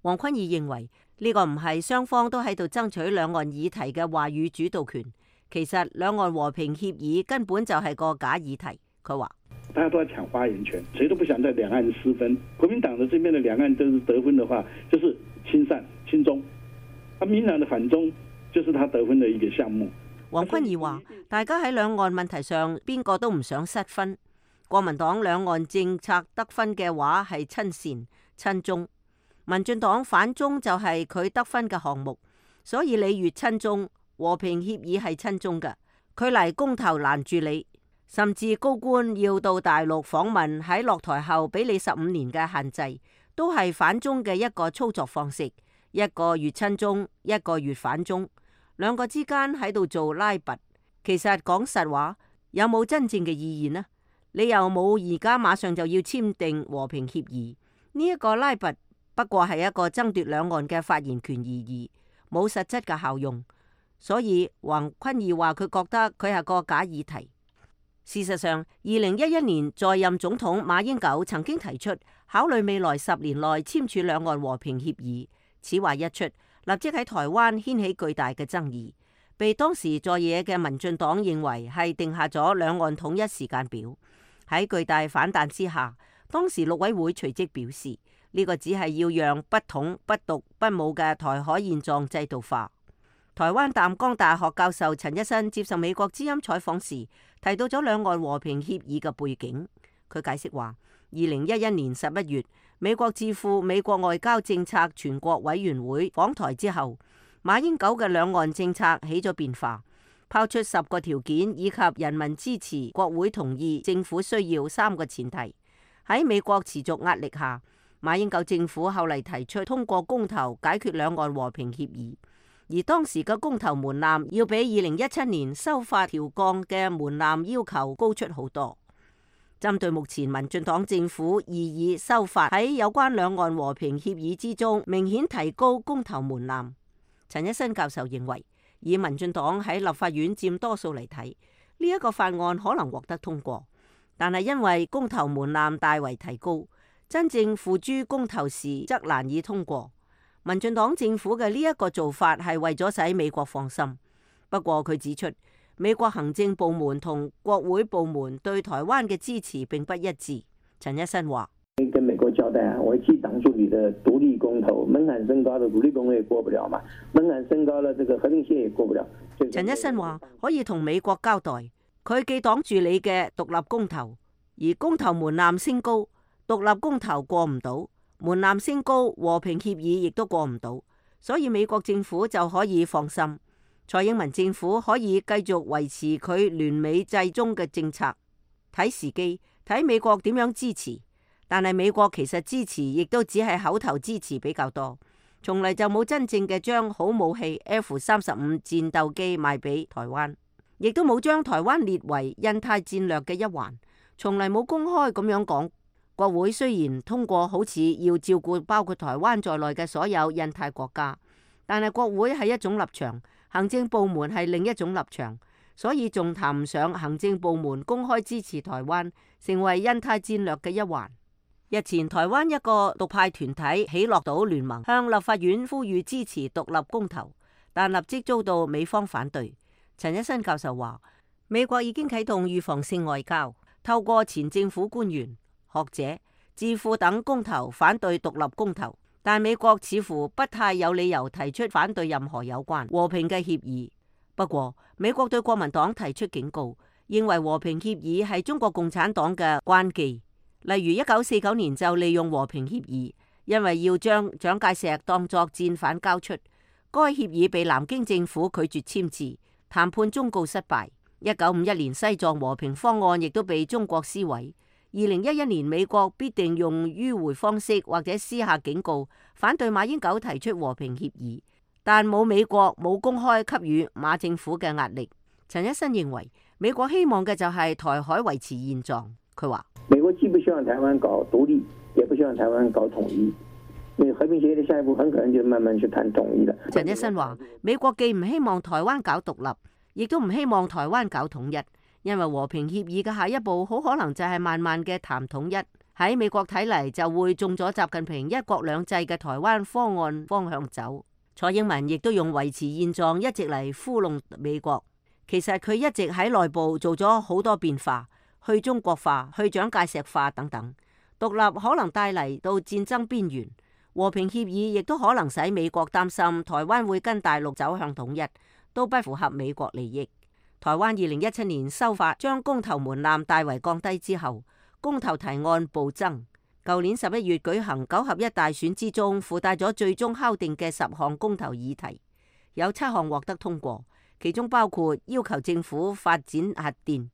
黃坤義認為呢個唔係雙方都喺度爭取兩岸議題嘅話語主導權，其實兩岸和平協議根本就係個假議題。佢話：大家都在搶發言權，誰都不想在兩岸失分。國民黨的這邊的兩岸都是得分的話，就是親善親中；而民黨的反中，就是他得分的一個項目。黃坤義話：大家喺兩岸問題上，邊個都唔想失分。國民黨兩岸政策得分嘅話係親善親中，民進黨反中就係佢得分嘅項目，所以你越親中，和平協議係親中嘅，佢嚟公投攔住你，甚至高官要到大陸訪問，喺落台後俾你十五年嘅限制，都係反中嘅一個操作方式，一個越親中，一個越反中，兩個之間喺度做拉拔。其實講實話，有冇真正嘅意義呢？你又冇而家馬上就要簽訂和平協議，呢、這、一個拉拔不過係一個爭奪兩岸嘅發言權而已，冇實質嘅效用。所以黃坤義話佢覺得佢係個假議題。事實上，二零一一年在任總統馬英九曾經提出考慮未來十年內簽署兩岸和平協議，此話一出，立即喺台灣掀起巨大嘅爭議，被當時在野嘅民進黨認為係定下咗兩岸統一時間表。喺巨大反彈之下，當時陸委會隨即表示，呢、這個只係要讓不統、不獨、不武嘅台海現狀制度化。台灣淡江大學教授陳一新接受美國之音採訪時，提到咗兩岸和平協議嘅背景。佢解釋話，二零一一年十一月，美國智庫美國外交政策全國委員會訪台之後，馬英九嘅兩岸政策起咗變化。拋出十個條件以及人民支持、國會同意、政府需要三個前提。喺美國持續壓力下，馬英九政府後嚟提出通過公投解決兩岸和平協議，而當時嘅公投門檻要比二零一七年修法調降嘅門檻要求高出好多。針對目前民進黨政府異議修法喺有關兩岸和平協議之中明顯提高公投門檻，陳一新教授認為，以民進黨喺立法院佔多數嚟睇，呢一個法案可能獲得通過，但係因為公投門檻大為提高，真正付諸公投時則難以通過。民進黨政府嘅呢一個做法係為咗使美國放心。不過佢指出，美國行政部門同國會部門對台灣嘅支持並不一致。陳一新話：跟美國交代啊，我既擋住你的獨立公投，門檻升高的獨立公投也過不了嘛，門檻升高了，這個和平協也過不了。陳一新話可以同美國交代，佢既擋住你嘅獨立公投，而公投門檻升高，獨立公投過唔到，門檻升高，和平協議亦都過唔到，所以美國政府就可以放心，蔡英文政府可以繼續維持佢聯美制中嘅政策，睇時機，睇美國點樣支持。但係美國其實支持亦都只係口頭支持比較多，從嚟就冇真正嘅將好武器 F 三十五戰鬥機賣俾台灣，亦都冇將台灣列為印太戰略嘅一環，從嚟冇公開咁樣講。國會雖然通過好似要照顧包括台灣在內嘅所有印太國家，但係國會係一種立場，行政部門係另一種立場，所以仲談唔上行政部門公開支持台灣成為印太戰略嘅一環。日前台灣一個獨派團體喜樂島聯盟向立法院呼籲支持獨立公投，但立即遭到美方反對。陳一新教授話，美國已經啟動預防性外交，透過前政府官員、學者、智庫等公投反對獨立公投，但美國似乎不太有理由提出反對任何有關和平嘅協議。不過，美國對國民黨提出警告，認為和平協議係中國共產黨嘅關機。例如一九四九年就利用和平協議，因為要將蔣介石當作戰犯交出，該協議被南京政府拒絕簽字，談判終告失敗。一九五一年西藏和平方案亦都被中國撕毀。二零一一年美國必定用迂迴方式或者私下警告，反對馬英九提出和平協議，但冇美國冇公開給予馬政府嘅壓力。陳一新認為美國希望嘅就係台海維持現狀。佢話美國既不希望台灣搞獨立，也不希望台灣搞統一。那和平協議的下一步很可能就慢慢去談統一了。陳一新話美國既唔希望台灣搞獨立，亦都唔希望台灣搞統一。因為和平協議嘅下一步好可能就係慢慢嘅談統一，喺美國睇嚟就會中咗習近平一國兩制嘅台灣方案方向走。蔡英文亦都用維持現狀一直嚟糊弄美國，其實佢一直喺內部做咗好多變化，去中國化、去蔣介石化等等。獨立可能帶嚟到戰爭邊緣，和平協議亦都可能使美國擔心台灣會跟大陸走向統一，都不符合美國利益。台灣二零一七年修法將公投門檻大為降低之後，公投提案暴增。舊年十一月舉行九合一大選之中，附帶咗最終敲定嘅十項公投議題，有七項獲得通過，其中包括要求政府發展核電，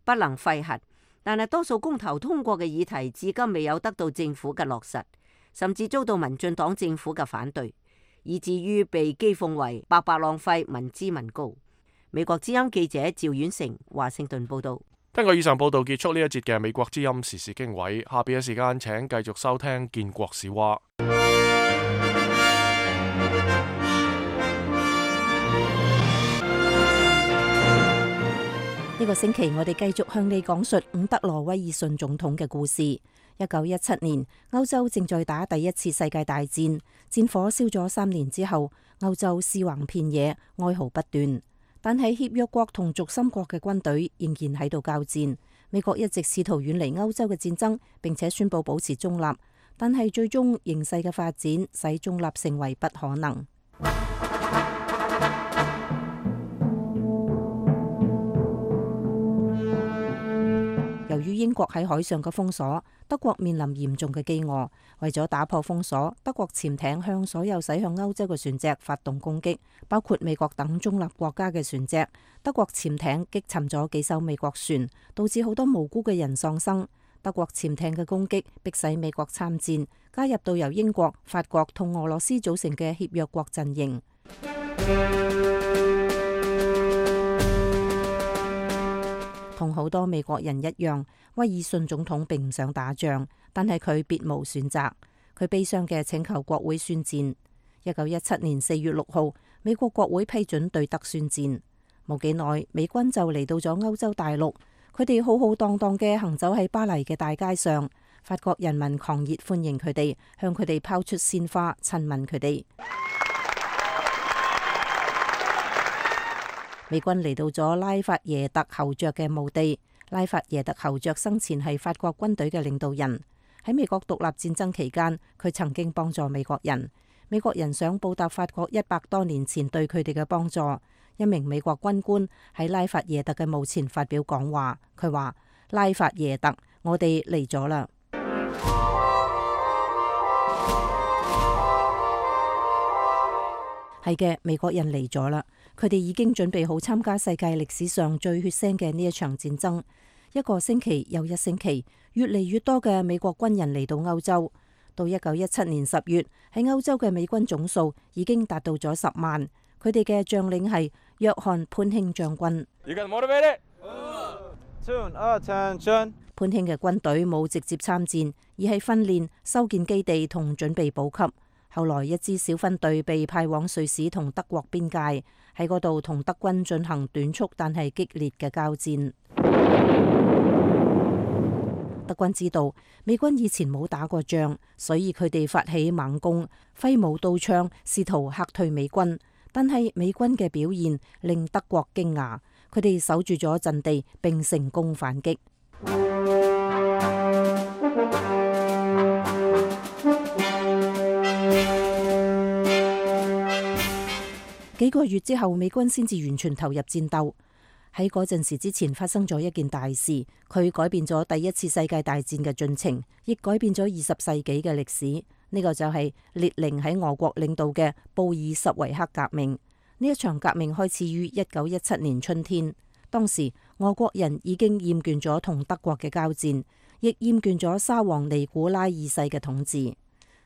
不能廢核。但係多數公投通過嘅議題至今未有得到政府嘅落實，甚至遭到民進黨政府嘅反對，以至於被譏諷為白白浪費民脂民膏。美國之音記者趙婉成華盛頓報道。聽過以上報道，結束呢一節嘅美國之音時事經緯。下邊嘅時間，請繼續收聽建國史話。呢個星期我哋繼續向你講述伍德羅威爾遜總統嘅故事。一九一七年，歐洲正在打第一次世界大戰，戰火燒咗三年之後，歐洲屍橫遍野，哀嚎不斷。但係協約國同軸心國嘅軍隊仍然喺度交戰。美國一直試圖遠離歐洲嘅戰爭，並且宣布保持中立，但係最終形勢嘅發展使中立成為不可能。由於英國喺海上嘅封鎖，德國面臨嚴重嘅飢餓。為咗打破封鎖，德國潛艇向所有駛向歐洲嘅船隻發動攻擊，包括美國等中立國家嘅船隻。德國潛艇擊沉咗幾艘美國船，導致好多無辜嘅人喪生。德國潛艇嘅攻擊迫使美國參戰，加入到由英國、法國同俄羅斯組成嘅協約國陣營。同好多美國人一樣，威爾遜總統並唔想打仗，但係佢別無選擇。佢悲傷嘅請求國會宣戰。一九一七年四月六號，美國國會批准對德宣戰。冇幾耐，美軍就嚟到咗歐洲大陸，佢哋浩浩蕩蕩嘅行走喺巴黎嘅大街上，法國人民狂熱歡迎佢哋，向佢哋拋出鮮花，親吻佢哋。美軍嚟到咗拉法耶特侯爵嘅墓地。拉法耶特侯爵生前係法國軍隊嘅領導人，喺美國獨立戰爭期間，佢曾經幫助美國人。美國人想報答法國一百多年前對佢哋嘅幫助。一名美國軍官喺拉法耶特嘅墓前發表講話，佢話：拉法耶特，我哋嚟咗啦。係嘅，美國人嚟咗啦。佢哋已經準備好參加世界歷史上最血腥嘅呢一場戰爭。一個星期又一星期，越嚟越多嘅美國軍人嚟到歐洲。到一九一七年十月，喺歐洲嘅美軍總數已經達到咗十萬。佢哋嘅將領係約翰潘興將軍。潘興嘅軍隊冇直接參戰，而係訓練、修建基地同準備補給。後來一支小分隊被派往瑞士同德國邊界，喺嗰度同德軍進行短促但係激烈嘅交戰。德軍知道美軍以前冇打過仗，所以佢哋發起猛攻，揮舞刀槍，試圖嚇退美軍。但係美軍嘅表現令德國驚訝，佢哋守住咗陣地並成功反擊。幾個月之後，美軍先至完全投入戰鬥。喺嗰陣時之前發生咗一件大事，佢改變咗第一次世界大戰嘅進程，亦改變咗二十世紀嘅歷史。呢個就係列寧喺俄國領導嘅布爾什維克革命。呢一場革命開始於一九一七年春天。當時俄國人已經厭倦咗同德國嘅交戰，亦厭倦咗沙皇尼古拉二世嘅統治。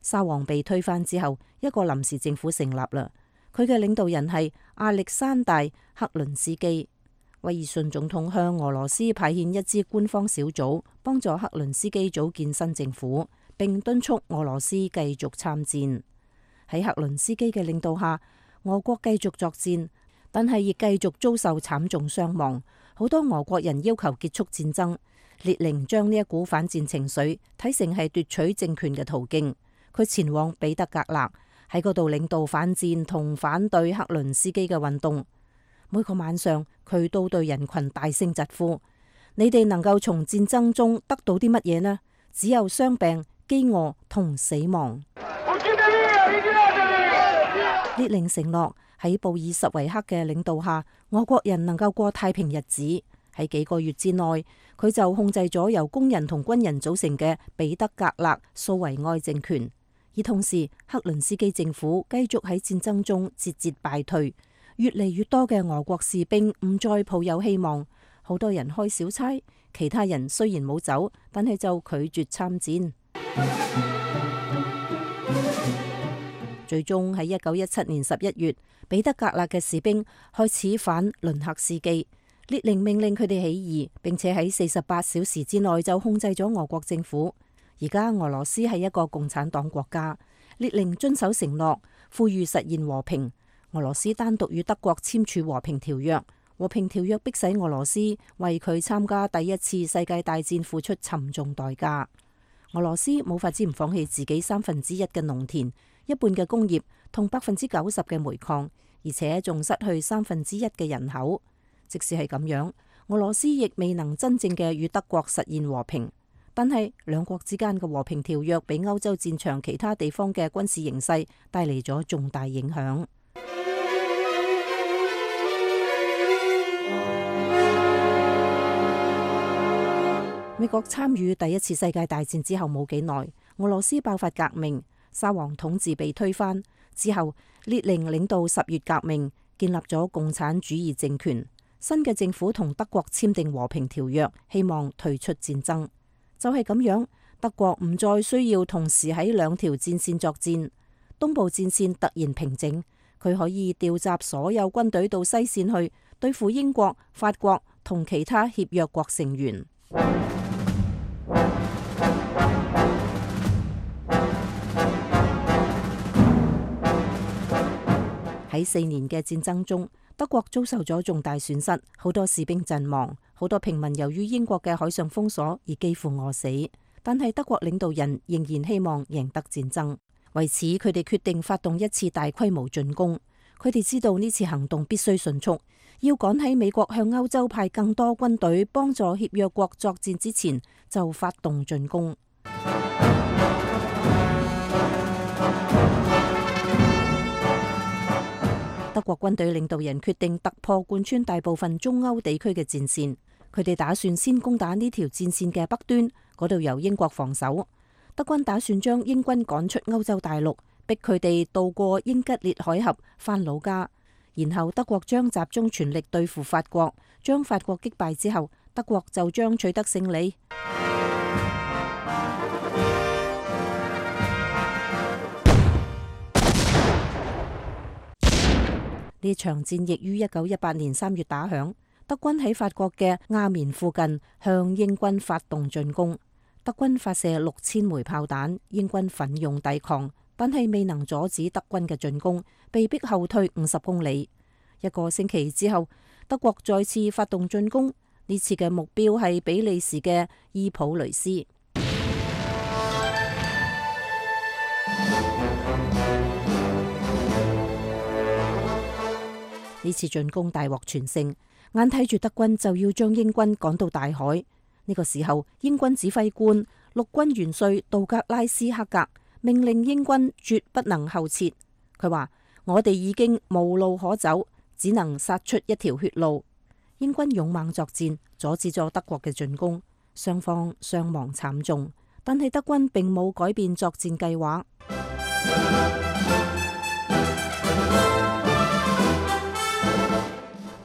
沙皇被推翻之後，一個臨時政府成立啦。佢嘅領導人係亞歷山大克倫斯基。威爾遜總統向俄羅斯派遣一支官方小組，幫助克倫斯基組建新政府，並敦促俄羅斯繼續參戰。喺克倫斯基嘅領導下，俄國繼續作戰，但係亦繼續遭受慘重傷亡。好多俄國人要求結束戰爭。列寧將呢一股反戰情緒睇成係奪取政權嘅途徑。佢前往彼得格勒，喺嗰度領導反戰同反對克倫斯基嘅運動。每個晚上，佢都對人群大聲疾呼：你哋能夠從戰爭中得到啲乜嘢呢？只有傷病、飢餓同死亡。列寧承諾喺布爾什維克嘅領導下，俄國人能夠過太平日子。喺幾個月之內，佢就控制咗由工人同軍人組成嘅彼得格勒蘇維埃政權。而同時，克倫斯基政府繼續喺戰爭中節節敗退。越嚟越多嘅俄國士兵唔再抱有希望，好多人開小差，其他人雖然冇走，但係就拒絕參戰。最終喺一九一七年十一月，彼得格勒嘅士兵開始反倫克斯基，列寧命令佢哋起義，並且喺四十八小時之內就控制咗俄國政府。而家俄羅斯係一個共產黨國家，列寧遵守承諾，呼籲實現和平。俄羅斯單獨與德國簽署和平條約，和平條約迫使俄羅斯為佢參加第一次世界大戰付出沉重代價。俄羅斯冇法子唔放棄自己三分之一嘅農田、一半嘅工業同百分之九十嘅煤礦，而且仲失去三分之一嘅人口。即使係咁樣，俄羅斯亦未能真正嘅與德國實現和平。但係兩國之間嘅和平條約俾歐洲戰場其他地方嘅軍事形勢帶嚟咗重大影響。美國參與第一次世界大戰之後冇幾耐，俄羅斯爆發革命，沙皇統治被推翻之後，列寧領導十月革命，建立咗共產主義政權。新嘅政府同德國簽訂和平條約，希望退出戰爭。就係咁樣，德國唔再需要同時喺兩條戰線作戰。東部戰線突然平靜，佢可以調集所有軍隊到西線去對付英國、法國同其他協約國成員。喺四年嘅戰爭中，德國遭受咗重大損失，好多士兵陣亡，好多平民由於英國嘅海上封鎖而幾乎餓死。但係德國領導人仍然希望贏得戰爭，為此佢哋決定發動一次大規模進攻。佢哋知道呢次行動必須迅速，要趕喺美國向歐洲派更多軍隊幫助協約國作戰之前就發動進攻。德國軍隊領導人決定突破貫穿大部分中歐地區嘅戰線，佢哋打算先攻打呢條戰線嘅北端，嗰度由英國防守。德軍打算將英軍趕出歐洲大陸，逼佢哋渡過英吉利海峽返老家，然後德國將集中全力對付法國，將法國擊敗之後，德國就將取得勝利。呢場戰役於一九一八年三月打響，德軍喺法國嘅亞眠附近向英軍發動進攻。德軍發射六千枚炮彈，英軍奮勇抵抗，但係未能阻止德軍嘅進攻，被逼後退五十公里。一個星期之後，德國再次發動進攻，呢次嘅目標係比利時嘅伊普雷斯。呢次進攻大獲全勝，眼睇住德軍就要將英軍趕到大海。呢個時候，英軍指揮官陸軍元帥道格拉斯克格命令英軍絕不能後撤。佢話：我哋已經無路可走，只能殺出一條血路。英軍勇猛作戰，阻止咗德國嘅進攻，雙方傷亡慘重，但係德軍並冇改變作戰計劃。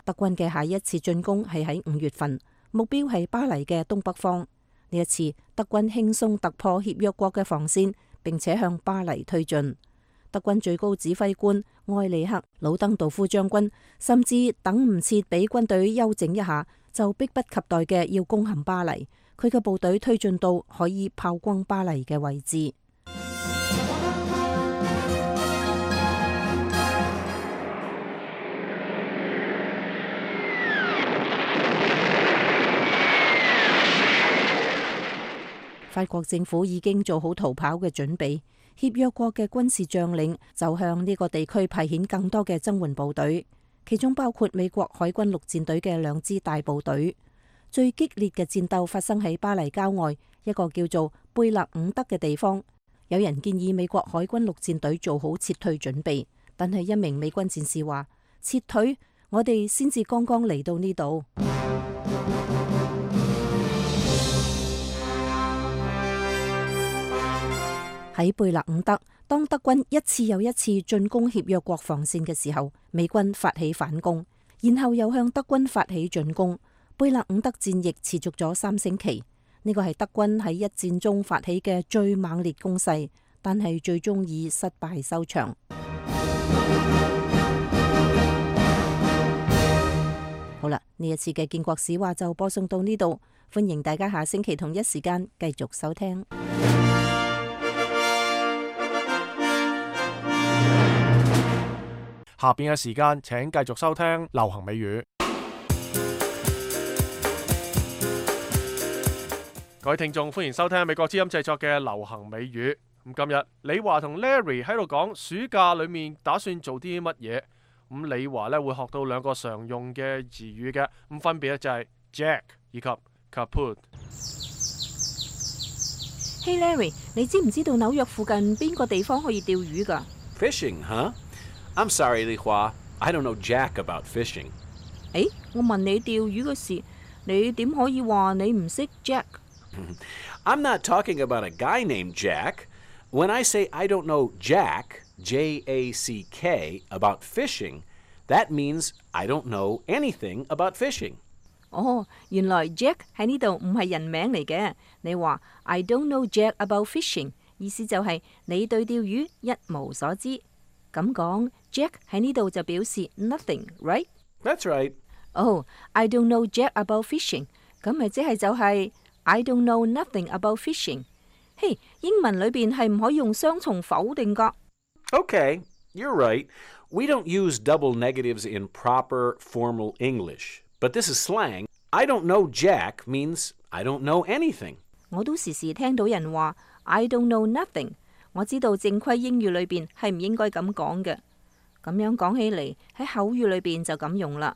德軍嘅下一次進攻係喺五月份，目標係巴黎嘅東北方。呢一次，德軍輕鬆突破協約國嘅防線，並且向巴黎推進。德軍最高指揮官埃里克魯登道夫將軍甚至等唔切俾軍隊休整一下，就迫不及待嘅要攻陷巴黎。佢嘅部隊推進到可以炮轟巴黎嘅位置。法國政府已經做好逃跑嘅準備，協約國嘅軍事將領就向呢個地區派遣更多嘅增援部隊，其中包括美國海軍陸戰隊嘅兩支大部隊。最激烈嘅戰鬥發生喺巴黎郊外一個叫做貝勒伍德嘅地方。有人建議美國海軍陸戰隊做好撤退準備，但係一名美軍戰士話：撤退？我哋先至剛剛嚟到呢度。喺貝勒伍德，當德軍一次又一次進攻協約國防線嘅時候，美軍發起反攻，然後又向德軍發起進攻。貝勒伍德戰役持續咗三星期，呢個係德軍喺一戰中發起嘅最猛烈攻勢，但係最終以失敗收場。好啦，呢一次嘅建國史話就播送到呢度，歡迎大家下星期同一時間繼續收聽。下邊嘅時間，請繼續收聽流行美語。各位聽眾，歡迎收聽美國之音製作嘅流行美語。咁今日李華同 Larry 喺度講暑假裏面打算做啲乜嘢。咁李華咧會學到兩個常用嘅詞語嘅，咁分別咧就係 Jack 以及 Kaput。Hey Larry， 你知唔知道紐約附近邊個地方可以釣魚㗎？ Fishing, huh? I'm sorry, Li Hua. I don't know jack about fishing. 誒，我問你釣魚嘅事，你點可以話你唔識 Jack？ I'm not talking about a guy named Jack. When I say I don't know Jack, J A C K, about fishing, that means I don't know anything about fishing. 哦，原來 Jack 喺呢度唔係人名嚟嘅。你話 I don't know Jack about fishing， 意思就係你對釣魚一無所知。咁講 Jack 喺呢度就表示 nothing，right？ That's right. 哦、oh, I don't know Jack about fishing， 咁咪即係就係 I don't know nothing about fishing。嘿、hey, 英文裏邊係唔可以用雙重否定噶。Okay, you're right. We don't use double negatives in proper formal English. But this is slang. I don't know Jack means I don't know anything. 我都時時聽到人話 I don't know nothing。我知道正規英語裏邊係唔應該咁講嘅。咁樣講起嚟喺口語裏邊就咁用啦。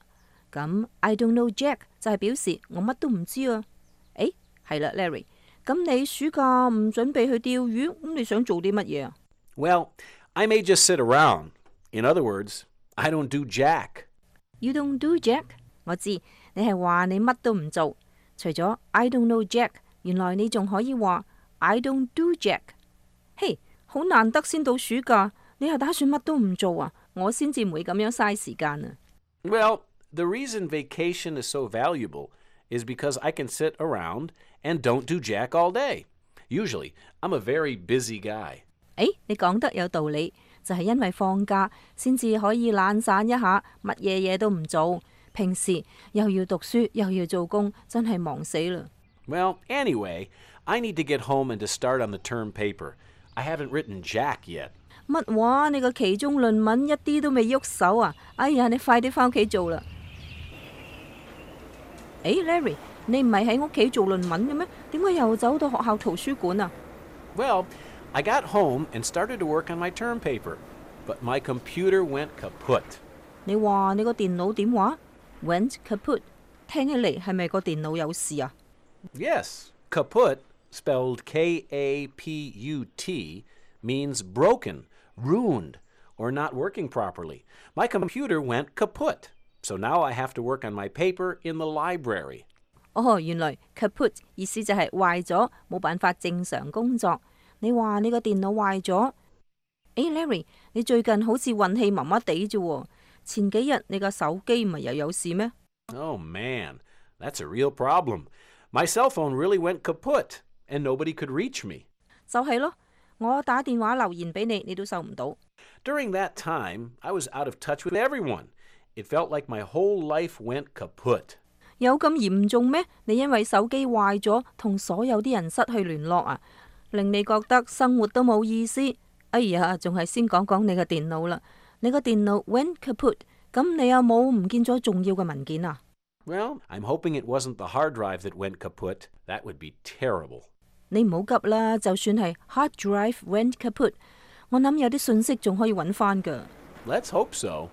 咁 I don't know Jack 就係表示我乜都唔知啊。誒，係啦 ，Larry。咁你暑假唔準備去釣魚，咁你想做啲乜嘢啊？ Well, I may just sit around. In other words, I don't do Jack. You don't do Jack？我知你係話你乜都唔做，除咗 I don't know Jack， 原來你仲可以話 I don't do Jack。嘿，好難得先到暑假，你係打算乜都唔做啊？我先至唔會咁樣嘥時間啊。Well, the reason vacation is so valuable is because I can sit around and don't do Jack all day. Usually, I'm a very busy guy. 誒，你講得有道理，就係因為放假先至可以懶散一下，乜嘢嘢都唔做。平時又要讀書又要做工，真係忙死啦。Well, anyway, I need to get home and to start on the term paper. I haven't written Jack yet. 乜話？你個期中論文一啲都未喐手啊！哎呀，你快啲返屋企做啦！誒 ，Larry， 你唔係喺屋企做論文嘅咩？點解又走到學校圖書館啊？ Well, I got home and started to work on my term paper, but my computer went kaput. 你話你個電腦點話 ？Went kaput， 聽起嚟係咪個電腦有事啊？ Yes, kaput, spelled K A P U T, means broken, ruined, or not working properly. My computer went kaput, so now I have to work on my paper in the library. 哦，原來 kaput 意思就係壞咗，冇辦法正常工作。你話你個電腦壞咗？誒 ，Larry， 你最近好似運氣麻麻地啫喎。前幾日你個手機唔係又有事咩？ Oh man, that's a real problem. My cell phone really went kaput, and nobody could reach me. 就係咯，我打電話留言俾你，你都收唔到。During that time, I was out of touch with everyone. It felt like my whole life went kaput. 有咁嚴重咩？你因為手機壞咗，同所有啲人失去聯絡啊，令你覺得生活都冇意思。哎呀，仲係先講講你個電腦啦。你個電腦 went kaput， 咁你有冇唔見咗重要嘅文件啊？ Well, I'm hoping it wasn't the hard drive that went kaput. That would be terrible. 你唔好急啦，就算係 hard drive went kaput， 我諗有啲信息仲可以揾翻㗎。 Let's hope so.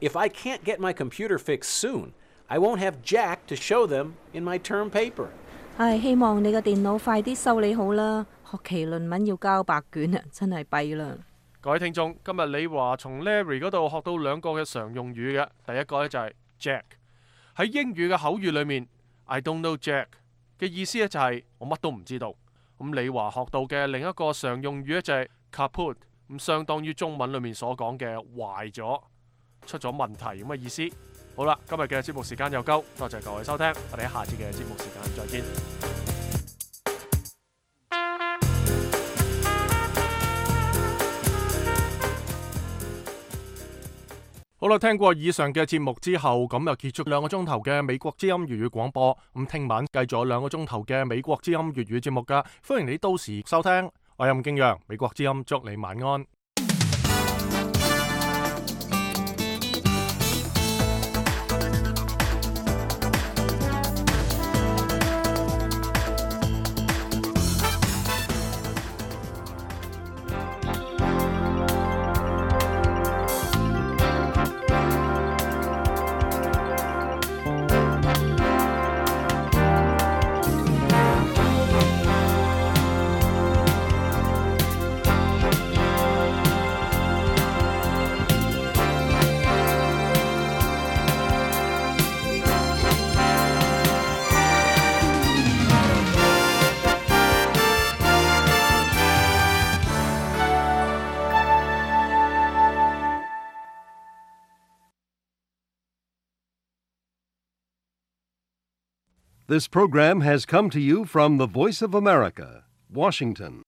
If I can't get my computer fixed soon, I won't have Jack to show them in my term paper. 唉，希望你個電腦快啲修理好啦。學期論文要交白卷啊，真係弊啦。各位聽眾，今日李華從 Larry 嗰度學到兩個嘅常用語嘅，第一個咧就係 Jack。喺英語嘅口語裏面 ，I don't know Jack 嘅意思咧就係我乜都唔知道。咁李華學到嘅另一個常用語咧就係 kaput， 咁相當於中文裏面所講嘅壞咗、出咗問題咁嘅意思。好啦，今日嘅節目時間又夠，多謝各位收聽，我哋喺下次嘅節目時間再見。好啦，聽過以上嘅節目之後，咁又結束兩個鐘頭嘅美國之音粵語廣播。咁聽晚繼續有兩個鐘頭嘅美國之音粵語節目噶，歡迎你到時收聽。我係任敬陽，美國之音祝你晚安。This program has come to you from the Voice of America, Washington.